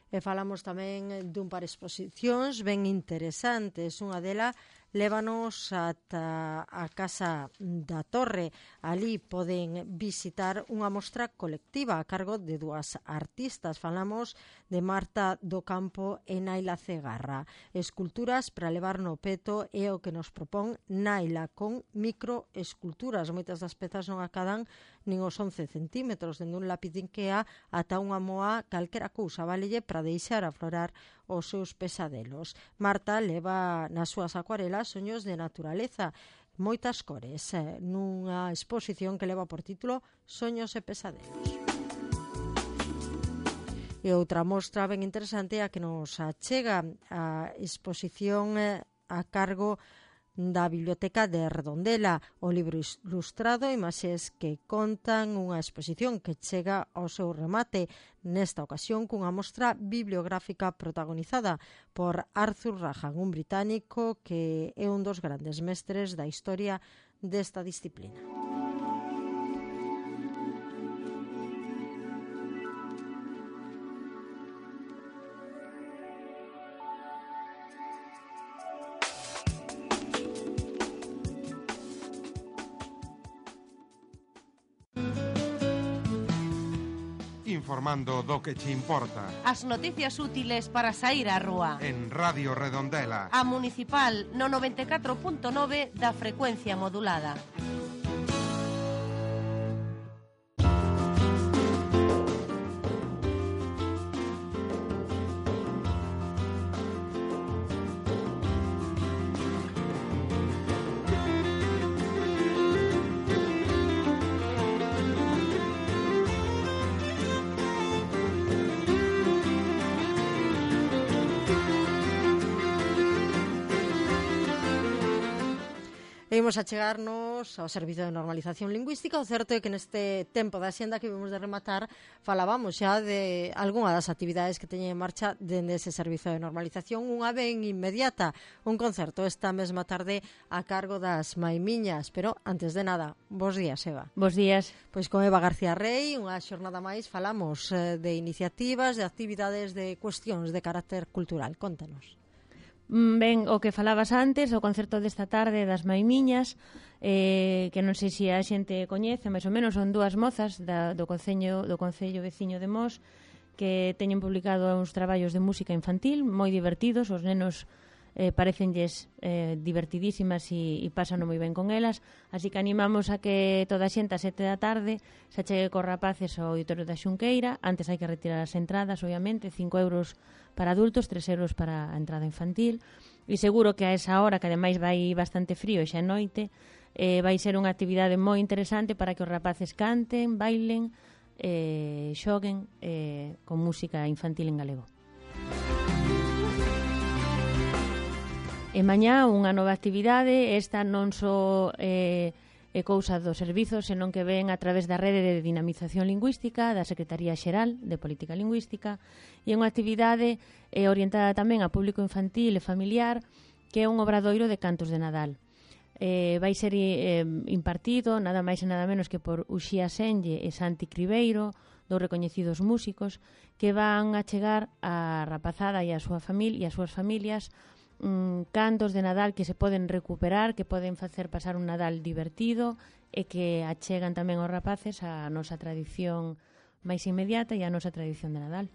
E falamos tamén dun par de exposicións ben interesantes. Unha delas lévanos ata a Casa da Torre. Ali poden visitar unha mostra colectiva a cargo de 2 artistas. Falamos de Marta do Campo e Naila Cegarra. Esculturas para levar no peto é o que nos propón Naila, con microesculturas. Moitas das pezas non acadan nin os 11 centímetros, dende un lápiz de Ikea ata unha moa, calquera cousa válelle para deixar aflorar os seus pesadelos. Marta leva nas súas acuarelas soños de naturaleza, moitas cores, nunha exposición que leva por título Soños e pesadelos. E outra mostra ben interesante a que nos achega a exposición a cargo da Biblioteca de Redondela, o libro ilustrado e imaxes que contan unha exposición que chega ao seu remate, nesta ocasión cunha mostra bibliográfica protagonizada por Arthur Rahan, un británico que é un dos grandes mestres da historia desta disciplina. informando do que che importa. As noticias útiles para sair á rúa. En Radio Redondela. A Municipal no 94.9 da frecuencia modulada. Imos a chegarnos ao Servizo de Normalización Lingüística. O certo é que neste tempo da xenda que vimos de rematar falábamos xa de algunha das actividades que teñen en marcha dende ese Servizo de Normalización. Unha ben inmediata, un concerto esta mesma tarde a cargo das Maimiñas. Pero, antes de nada, bos días, Eva. Bos días. Pois con Eva García Rey, unha xornada máis, falamos de iniciativas, de actividades, de cuestións de carácter cultural. Contanos. Ben, o que falabas antes, o concerto desta tarde das Maimiñas, que non sei se a xente coñece, máis ou menos son dúas mozas do Concello veciño de Mos que teñen publicado uns traballos de música infantil moi divertidos, os nenos parecenlles divertidísimas e pasan moi ben con elas, así que animamos a que toda a xente a 7 da tarde se chegue cos rapaces ao Auditorio da Xunqueira. Antes hai que retirar as entradas, obviamente, 5 euros para adultos, 3 euros para a entrada infantil, e seguro que a esa hora, que ademais vai bastante frío e xa é noite, vai ser unha actividade moi interesante para que os rapaces canten, bailen, xoguen con música infantil en galego. E mañá unha nova actividade, esta non só é cousa do servizo, senón que ven a través da rede de dinamización lingüística da Secretaría Xeral de Política Lingüística, e é unha actividade orientada tamén a público infantil e familiar, que é un obradoiro de cantos de Nadal. Vai ser impartido nada máis e nada menos que por Uxía Senlle e Santi Cribeiro, dous recoñecidos músicos, que van a chegar a rapazada e a súa familia e as súas familias cantos de Nadal que se poden recuperar, que poden facer pasar un Nadal divertido e que achegan tamén aos rapaces a nosa tradición máis inmediata e a nosa tradición de Nadal.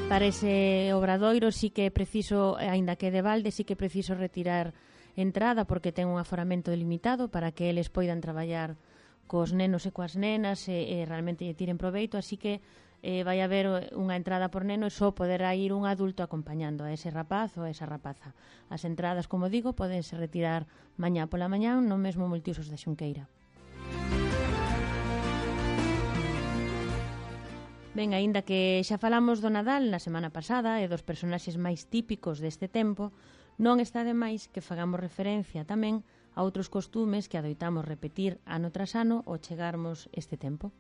Para ese obradoiro sí que é preciso, aínda que de balde, sí que é preciso retirar entrada porque ten un aforamento delimitado para que eles poidan traballar cos nenos e coas nenas e realmente lle tiren proveito, así que vai haber unha entrada por neno e só poderá ir un adulto acompañando a ese rapaz ou a esa rapaza. As entradas, como digo, podense retirar mañá pola mañá no mesmo multiusos da Xunqueira. Ben, aínda que xa falamos do Nadal na semana pasada e dos personaxes máis típicos deste tempo, non está de máis que fagamos referencia tamén a outros costumes que adoitamos repetir ano tras ano ao chegarmos este tempo.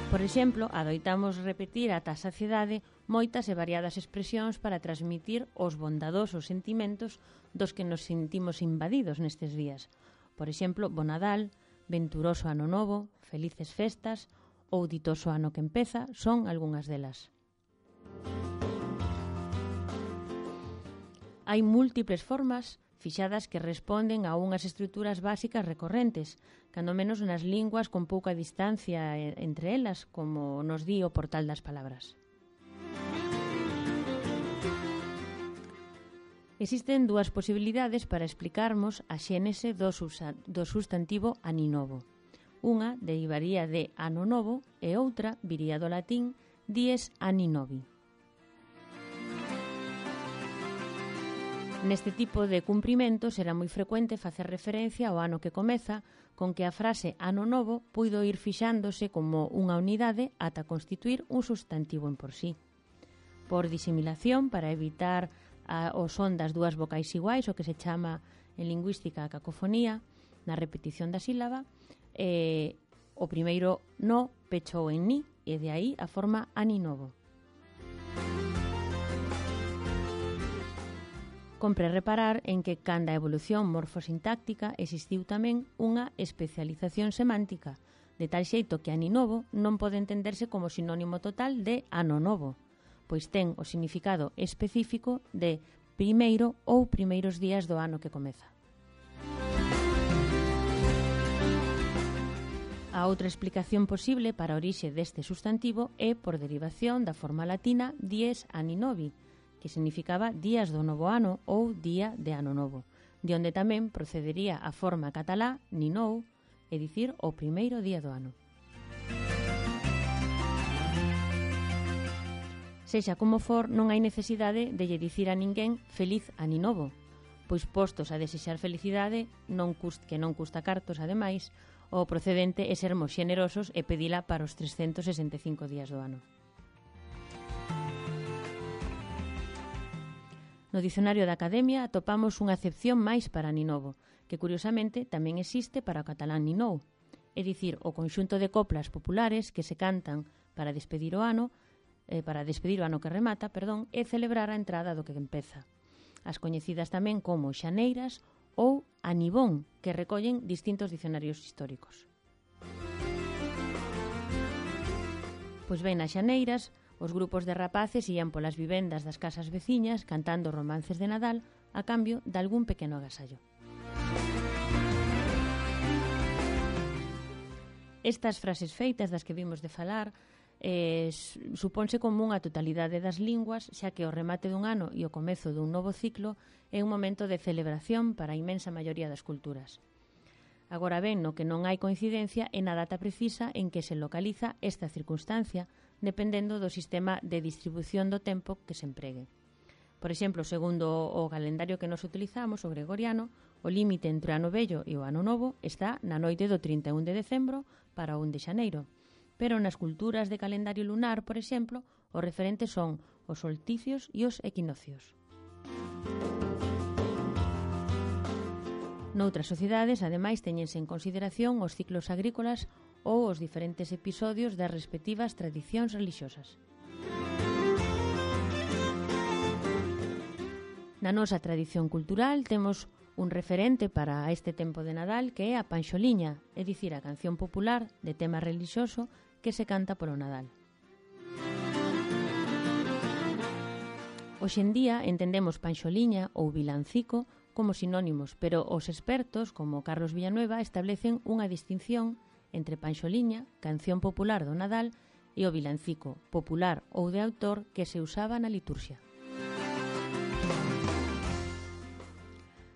Por exemplo, adoitamos repetir ata a saciedade moitas e variadas expresións para transmitir os bondadosos sentimentos dos que nos sentimos invadidos nestes días. Por exemplo, Bo Nadal, Venturoso Ano Novo, Felices Festas ou Ditoso Ano que Empeza son algunhas delas. Hai múltiples formas fixadas que responden a unhas estruturas básicas recorrentes, cando menos nas linguas con pouca distancia entre elas, como nos di o Portal das Palabras. Existen dúas posibilidades para explicarmos a xénese do substantivo aninovo. Unha derivaría de ano novo e outra viría do latín dies anni novi. Neste tipo de cumprimentos era moi frecuente facer referencia ao ano que comeza, con que a frase ano novo puido ir fixándose como unha unidade ata constituir un substantivo en por sí. Por disimilación, para evitar o son das dúas vocais iguais, o que se chama en lingüística a cacofonía, na repetición da sílaba, o primeiro no pechou en ni, e de aí a forma aninovo. Compre reparar en que, canda a evolución morfosintáctica, existiu tamén unha especialización semántica, de tal xeito que aninovo non pode entenderse como sinónimo total de ano novo, pois ten o significado específico de primeiro ou primeiros días do ano que comeza. A outra explicación posible para a orixe deste substantivo é por derivación da forma latina dies anni novi, que significaba días do novo ano ou día de ano novo, de onde tamén procedería a forma catalá ninou, é dicir, o primeiro día do ano. Sexa como for, non hai necesidade de lle dicir a ninguén feliz ani novo, pois postos a desexar felicidade que non custa cartos, ademais, o procedente é sermos xenerosos e pedila para os 365 días do ano. No dicionario da Academia atopamos unha acepción máis para ani novo, que curiosamente tamén existe para o catalán ninou, é dicir, o conxunto de coplas populares que se cantan para despedir o ano que remata, e celebrar a entrada do que empeza. As coñecidas tamén como xaneiras ou anibón, que recollen distintos dicionarios históricos. Pois ben, nas xaneiras, os grupos de rapaces ían polas vivendas das casas veciñas cantando romances de Nadal a cambio de algún pequeno agasallo. Estas frases feitas das que vimos de falar supónse como unha totalidade das linguas, xa que o remate dun ano e o comezo dun novo ciclo é un momento de celebración para a inmensa maioría das culturas. Agora ben, no que non hai coincidencia é na data precisa en que se localiza esta circunstancia, dependendo do sistema de distribución do tempo que se empregue. Por exemplo, segundo o calendario que nos utilizamos, o gregoriano, o límite entre o ano vello e o ano novo está na noite do 31 de decembro para o 1 de xaneiro. Pero nas culturas de calendario lunar, por exemplo, os referentes son os solsticios e os equinocios. Noutras sociedades, ademais, teñense en consideración os ciclos agrícolas ou os diferentes episodios das respectivas tradicións religiosas. Na nosa tradición cultural temos un referente para este tempo de Nadal que é a panxoliña, é dicir, a canción popular de tema relixioso que se canta polo Nadal. Hoxe en día entendemos panxoliña ou vilancico como sinónimos, pero os expertos, como Carlos Villanueva, establecen unha distinción entre panxoliña, canción popular do Nadal, e o vilancico, popular ou de autor que se usaba na liturxia.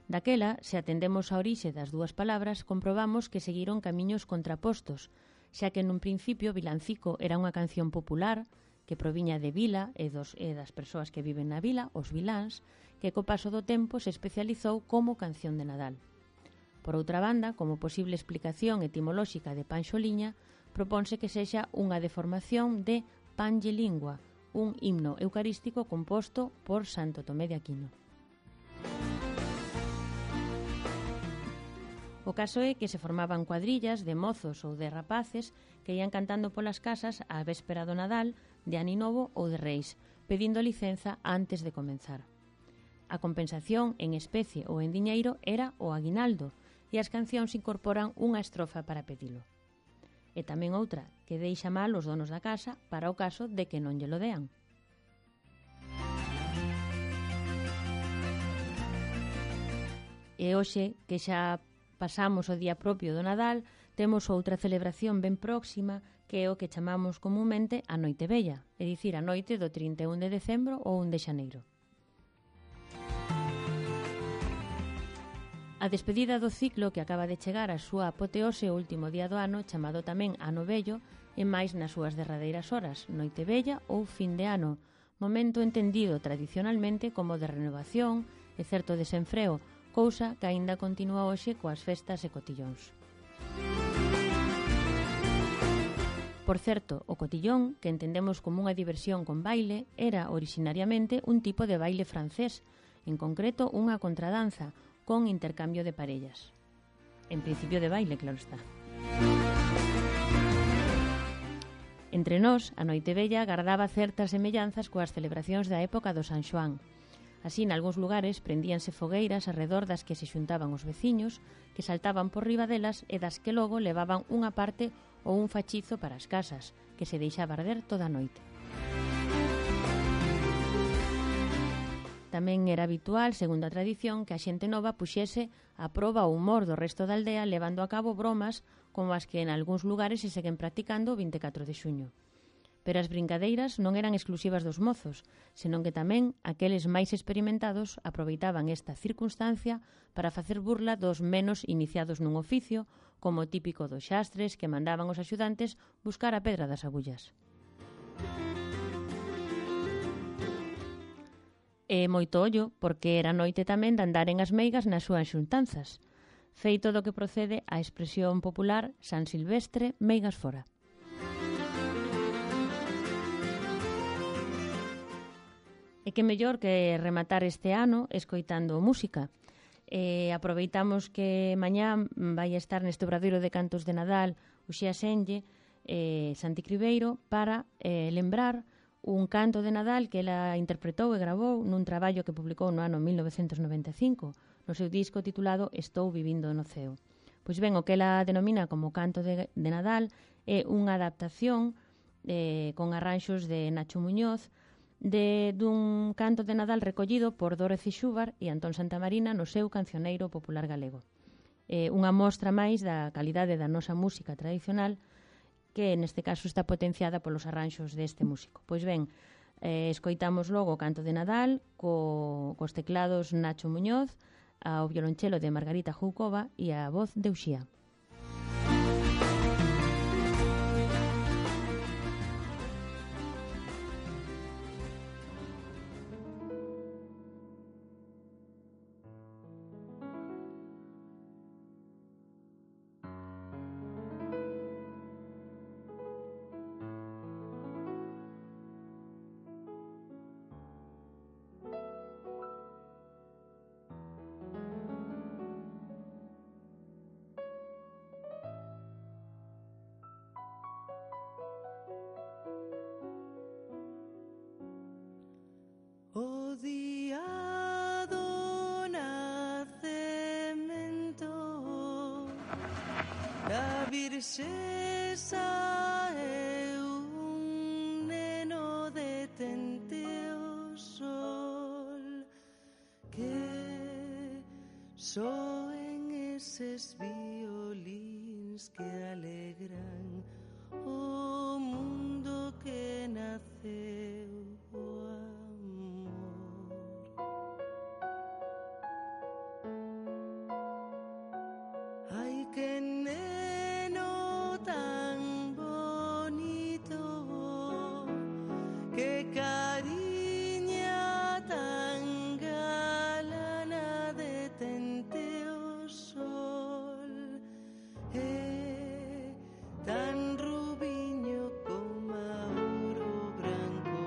Daquela, se atendemos a orixe das dúas palabras, comprobamos que seguiron camiños contrapostos, xa que nun principio vilancico era unha canción popular que proviña de vila e das persoas que viven na vila, os viláns, que co paso do tempo se especializou como canción de Nadal. Por outra banda, como posible explicación etimolóxica de panxoliña, proponse que sexa unha deformación de panlle lingua, un himno eucarístico composto por Santo Tomé de Aquino. O caso é que se formaban cuadrillas de mozos ou de rapaces que ian cantando polas casas á véspera do Nadal, de Ani Novo ou de Reis, pedindo licenza antes de comenzar. A compensación en especie ou en diñeiro era o aguinaldo e as cancións incorporan unha estrofa para pedilo. E tamén outra que deixa mal os donos da casa para o caso de que non lle lo dean. E hoxe, que xa pasamos o día propio do Nadal, temos outra celebración ben próxima que é o que chamamos comunmente a Noite Vella, é dicir, a noite do 31 de decembro ou 1 de xaneiro. A despedida do ciclo que acaba de chegar á súa apoteose o último día do ano, chamado tamén Ano Vello, e máis nas súas derradeiras horas, Noite Vella ou fin de ano, momento entendido tradicionalmente como de renovación e certo desenfreo, cousa que aínda continúa hoxe coas festas e cotillóns. Por certo, o cotillón, que entendemos como unha diversión con baile, era orixinariamente un tipo de baile francés, en concreto unha contradanza, con intercambio de parellas. En principio de baile, claro está. Entre nós, a Noite Vella gardaba certas semellanzas coas celebracións da época do San Xoán. Así, nalgúns lugares, prendíanse fogueiras arredor das que se xuntaban os veciños, que saltaban por riba delas e das que logo levaban unha parte ou un fachizo para as casas, que se deixaba arder toda a noite. Tamén era habitual, segundo a tradición, que a xente nova puxese a proba o humor do resto da aldea levando a cabo bromas como as que en algúns lugares se seguen practicando o 24 de xuño. Pero as brincadeiras non eran exclusivas dos mozos, senón que tamén aqueles máis experimentados aproveitaban esta circunstancia para facer burla dos menos iniciados nun oficio, como o típico dos xastres que mandaban os axudantes buscar a pedra das agullas. E moito ollo, porque era noite tamén de andar en as meigas nas súas xuntanzas, feito do que procede a expresión popular San Silvestre, meigas fora. E que mellor que rematar este ano escoitando música. Aproveitamos que mañá vai estar neste obradoiro de cantos de Nadal o Xea Senlle, Santi Cribeiro, para lembrar un canto de Nadal que ela interpretou e gravou nun traballo que publicou no ano 1995, no seu disco titulado Estou vivindo no ceo. Pois ben, o que ela denomina como canto de Nadal é unha adaptación con arranxos de Nacho Muñoz dun canto de Nadal recollido por Dorothy Xubar e Antón Santamarina no seu cancioneiro popular galego. Unha mostra máis da calidade da nosa música tradicional que neste caso está potenciada polos arranxos deste músico. Pois ben, escoitamos logo o canto de Nadal cos teclados Nacho Muñoz, ao violonchelo de Margarita Joukova e a voz de Uxía. O día do nacemento da Virxe sae un neno detente o sol que soen eses violíns que alegran o mundo que naceu o amor. Ay, que neno tan bonito, que cariña tan galana detente o sol, tan rubiño como ouro branco,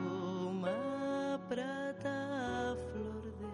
como a prata a flor de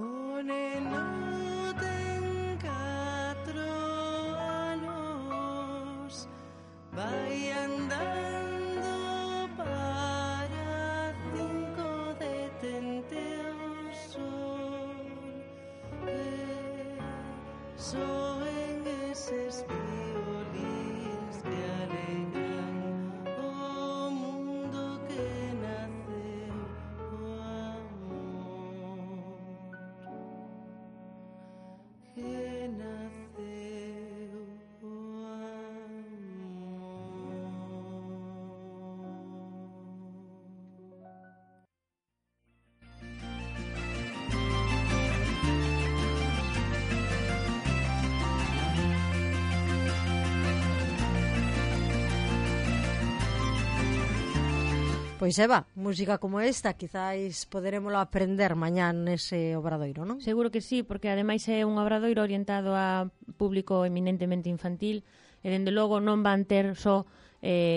o neno ten 4 anos, vai andando para 5 detente o sol, soen eses violíns que alegran o mundo que naceu o amor, que naceu Pois Eva, música como esta quizáis poderémolo aprender mañán nese obradoiro, non? Seguro que sí, porque ademais é un obradoiro orientado a público eminentemente infantil e dende logo non van ter só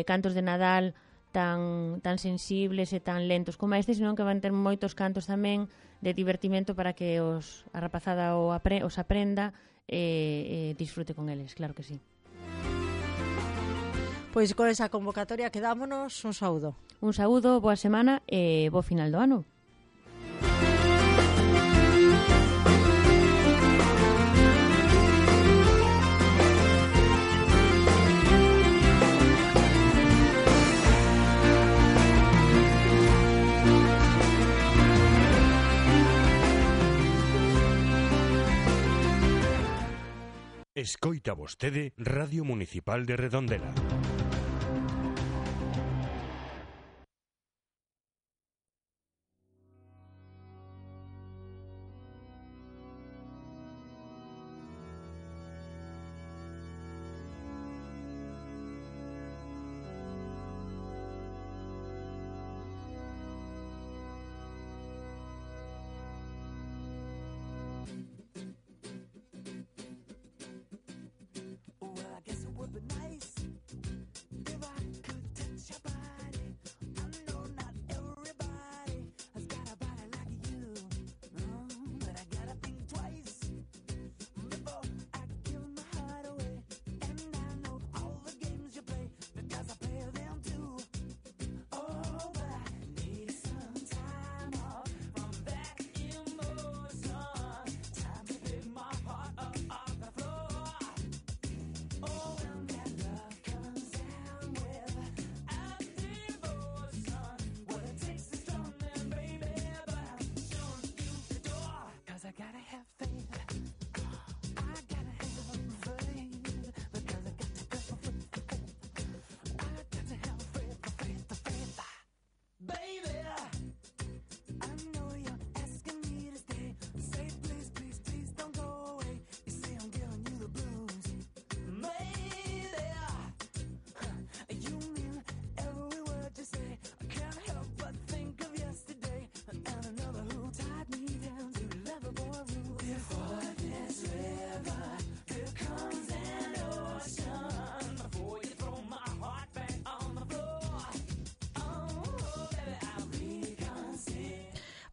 cantos de Nadal tan sensibles e tan lentos como este, senón que van ter moitos cantos tamén de divertimento para que a rapazada os aprenda e disfrute con eles, claro que sí. Pois con esa convocatoria quedámonos, un saúdo. Un saúdo, boa semana e bo final do ano. Escoita vostede Radio Municipal de Redondela.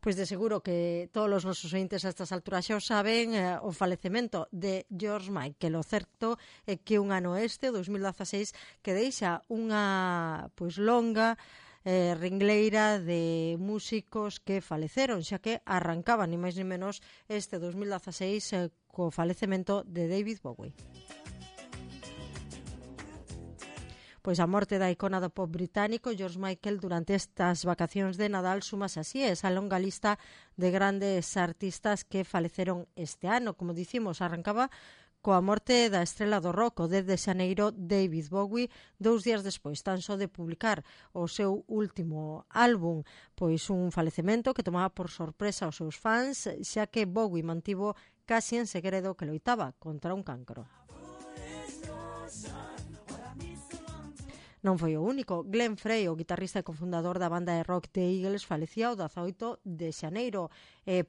Pois de seguro que todos os nosos ointes a estas alturas xa o saben, o falecemento de George Michael. O certo é que un ano este, 2016, que deixa unha longa ringleira de músicos que faleceron, xa que arrancaban ni máis ni menos este 2016 co falecemento de David Bowie. Pois a morte da icona do pop británico George Michael durante estas vacacións de Nadal sumas así esa longa lista de grandes artistas que faleceron este ano. Como dicimos, arrancaba coa morte da estrela do rock, o 10 de xaneiro, David Bowie, 2 días despois tan só de publicar o seu último álbum, pois un falecemento que tomaba por sorpresa aos seus fans, xa que Bowie mantivo casi en segredo que loitaba contra un cancro. Non foi o único. Glenn Frey, o guitarrista e cofundador da banda de rock The Eagles, falecía o 18 de xaneiro.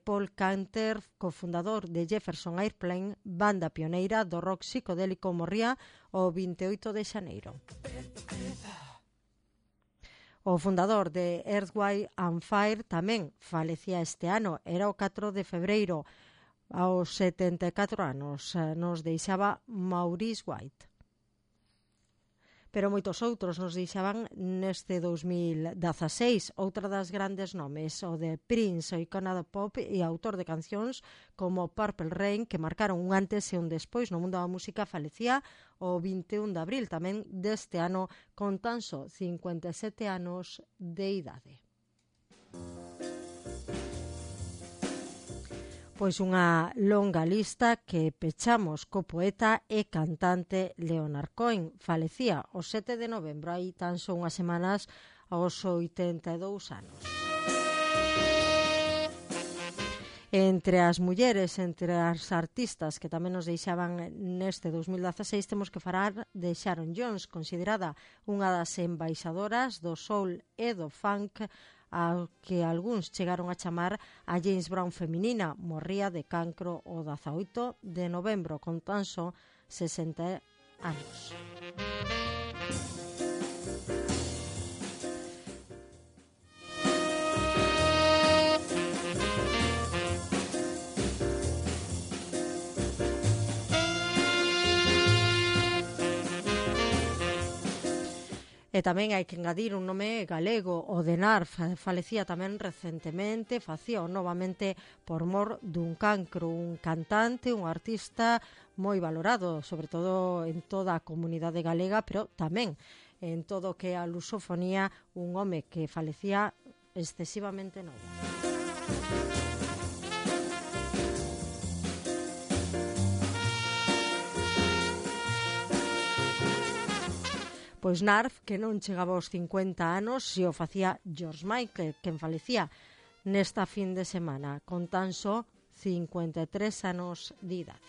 Paul Canter, cofundador de Jefferson Airplane, banda pioneira do rock psicodélico, morría o 28 de xaneiro. O fundador de Earth, Wind and Fire tamén falecía este ano. Era o 4 de febreiro. Aos 74 anos nos deixaba Maurice White. Pero moitos outros nos deixaban neste 2016. Outra das grandes nomes, o de Prince, o icona do pop e autor de cancións como Purple Rain, que marcaron un antes e un despois no mundo da música, falecía o 21 de abril tamén deste ano con tan só 57 anos de idade. Pois unha longa lista que pechamos co poeta e cantante Leonard Cohen. Falecía o 7 de novembro, hai tan só unhas semanas, aos 82 anos. Entre as mulleres, entre as artistas que tamén nos deixaban neste 2016, temos que falar de Sharon Jones, considerada unha das embaixadoras do soul e do funk, ao que algúns chegaron a chamar a James Brown feminina. Morría de cancro o 18 de novembro, con tan só 60 anos. E tamén hai que engadir un nome galego, o de Narf, falecía tamén recentemente, facía novamente por mor dun cancro, un cantante, un artista moi valorado, sobre todo en toda a comunidade galega, pero tamén en todo o que é a lusofonía, un home que falecía excesivamente novo. Pois Narf, que non chegaba aos 50 anos, se o facía George Michael, quen falecía nesta fin de semana, con tan só 53 anos de idade.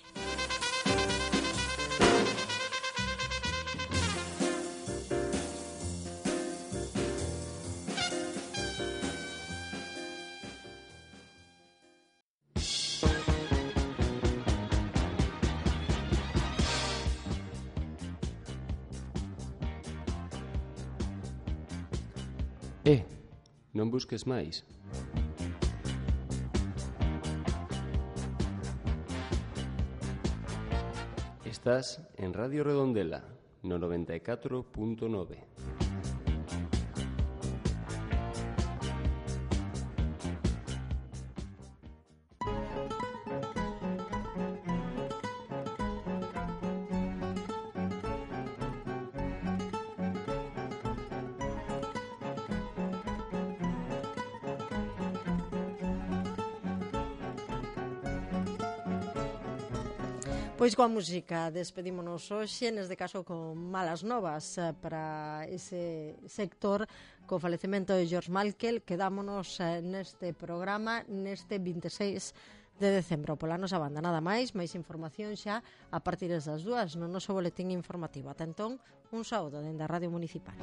Non busques máis. Estás en Radio Redondela, no 94.9. Pois coa música despedímonos hoxe, neste caso con malas novas para ese sector co falecemento de George Michael. Quedámonos neste programa neste 26 de decembro pola nosa banda. Nada máis información xa a partir das 2 no noso boletín informativo. Ata entón, un saúdo dende a Radio Municipal.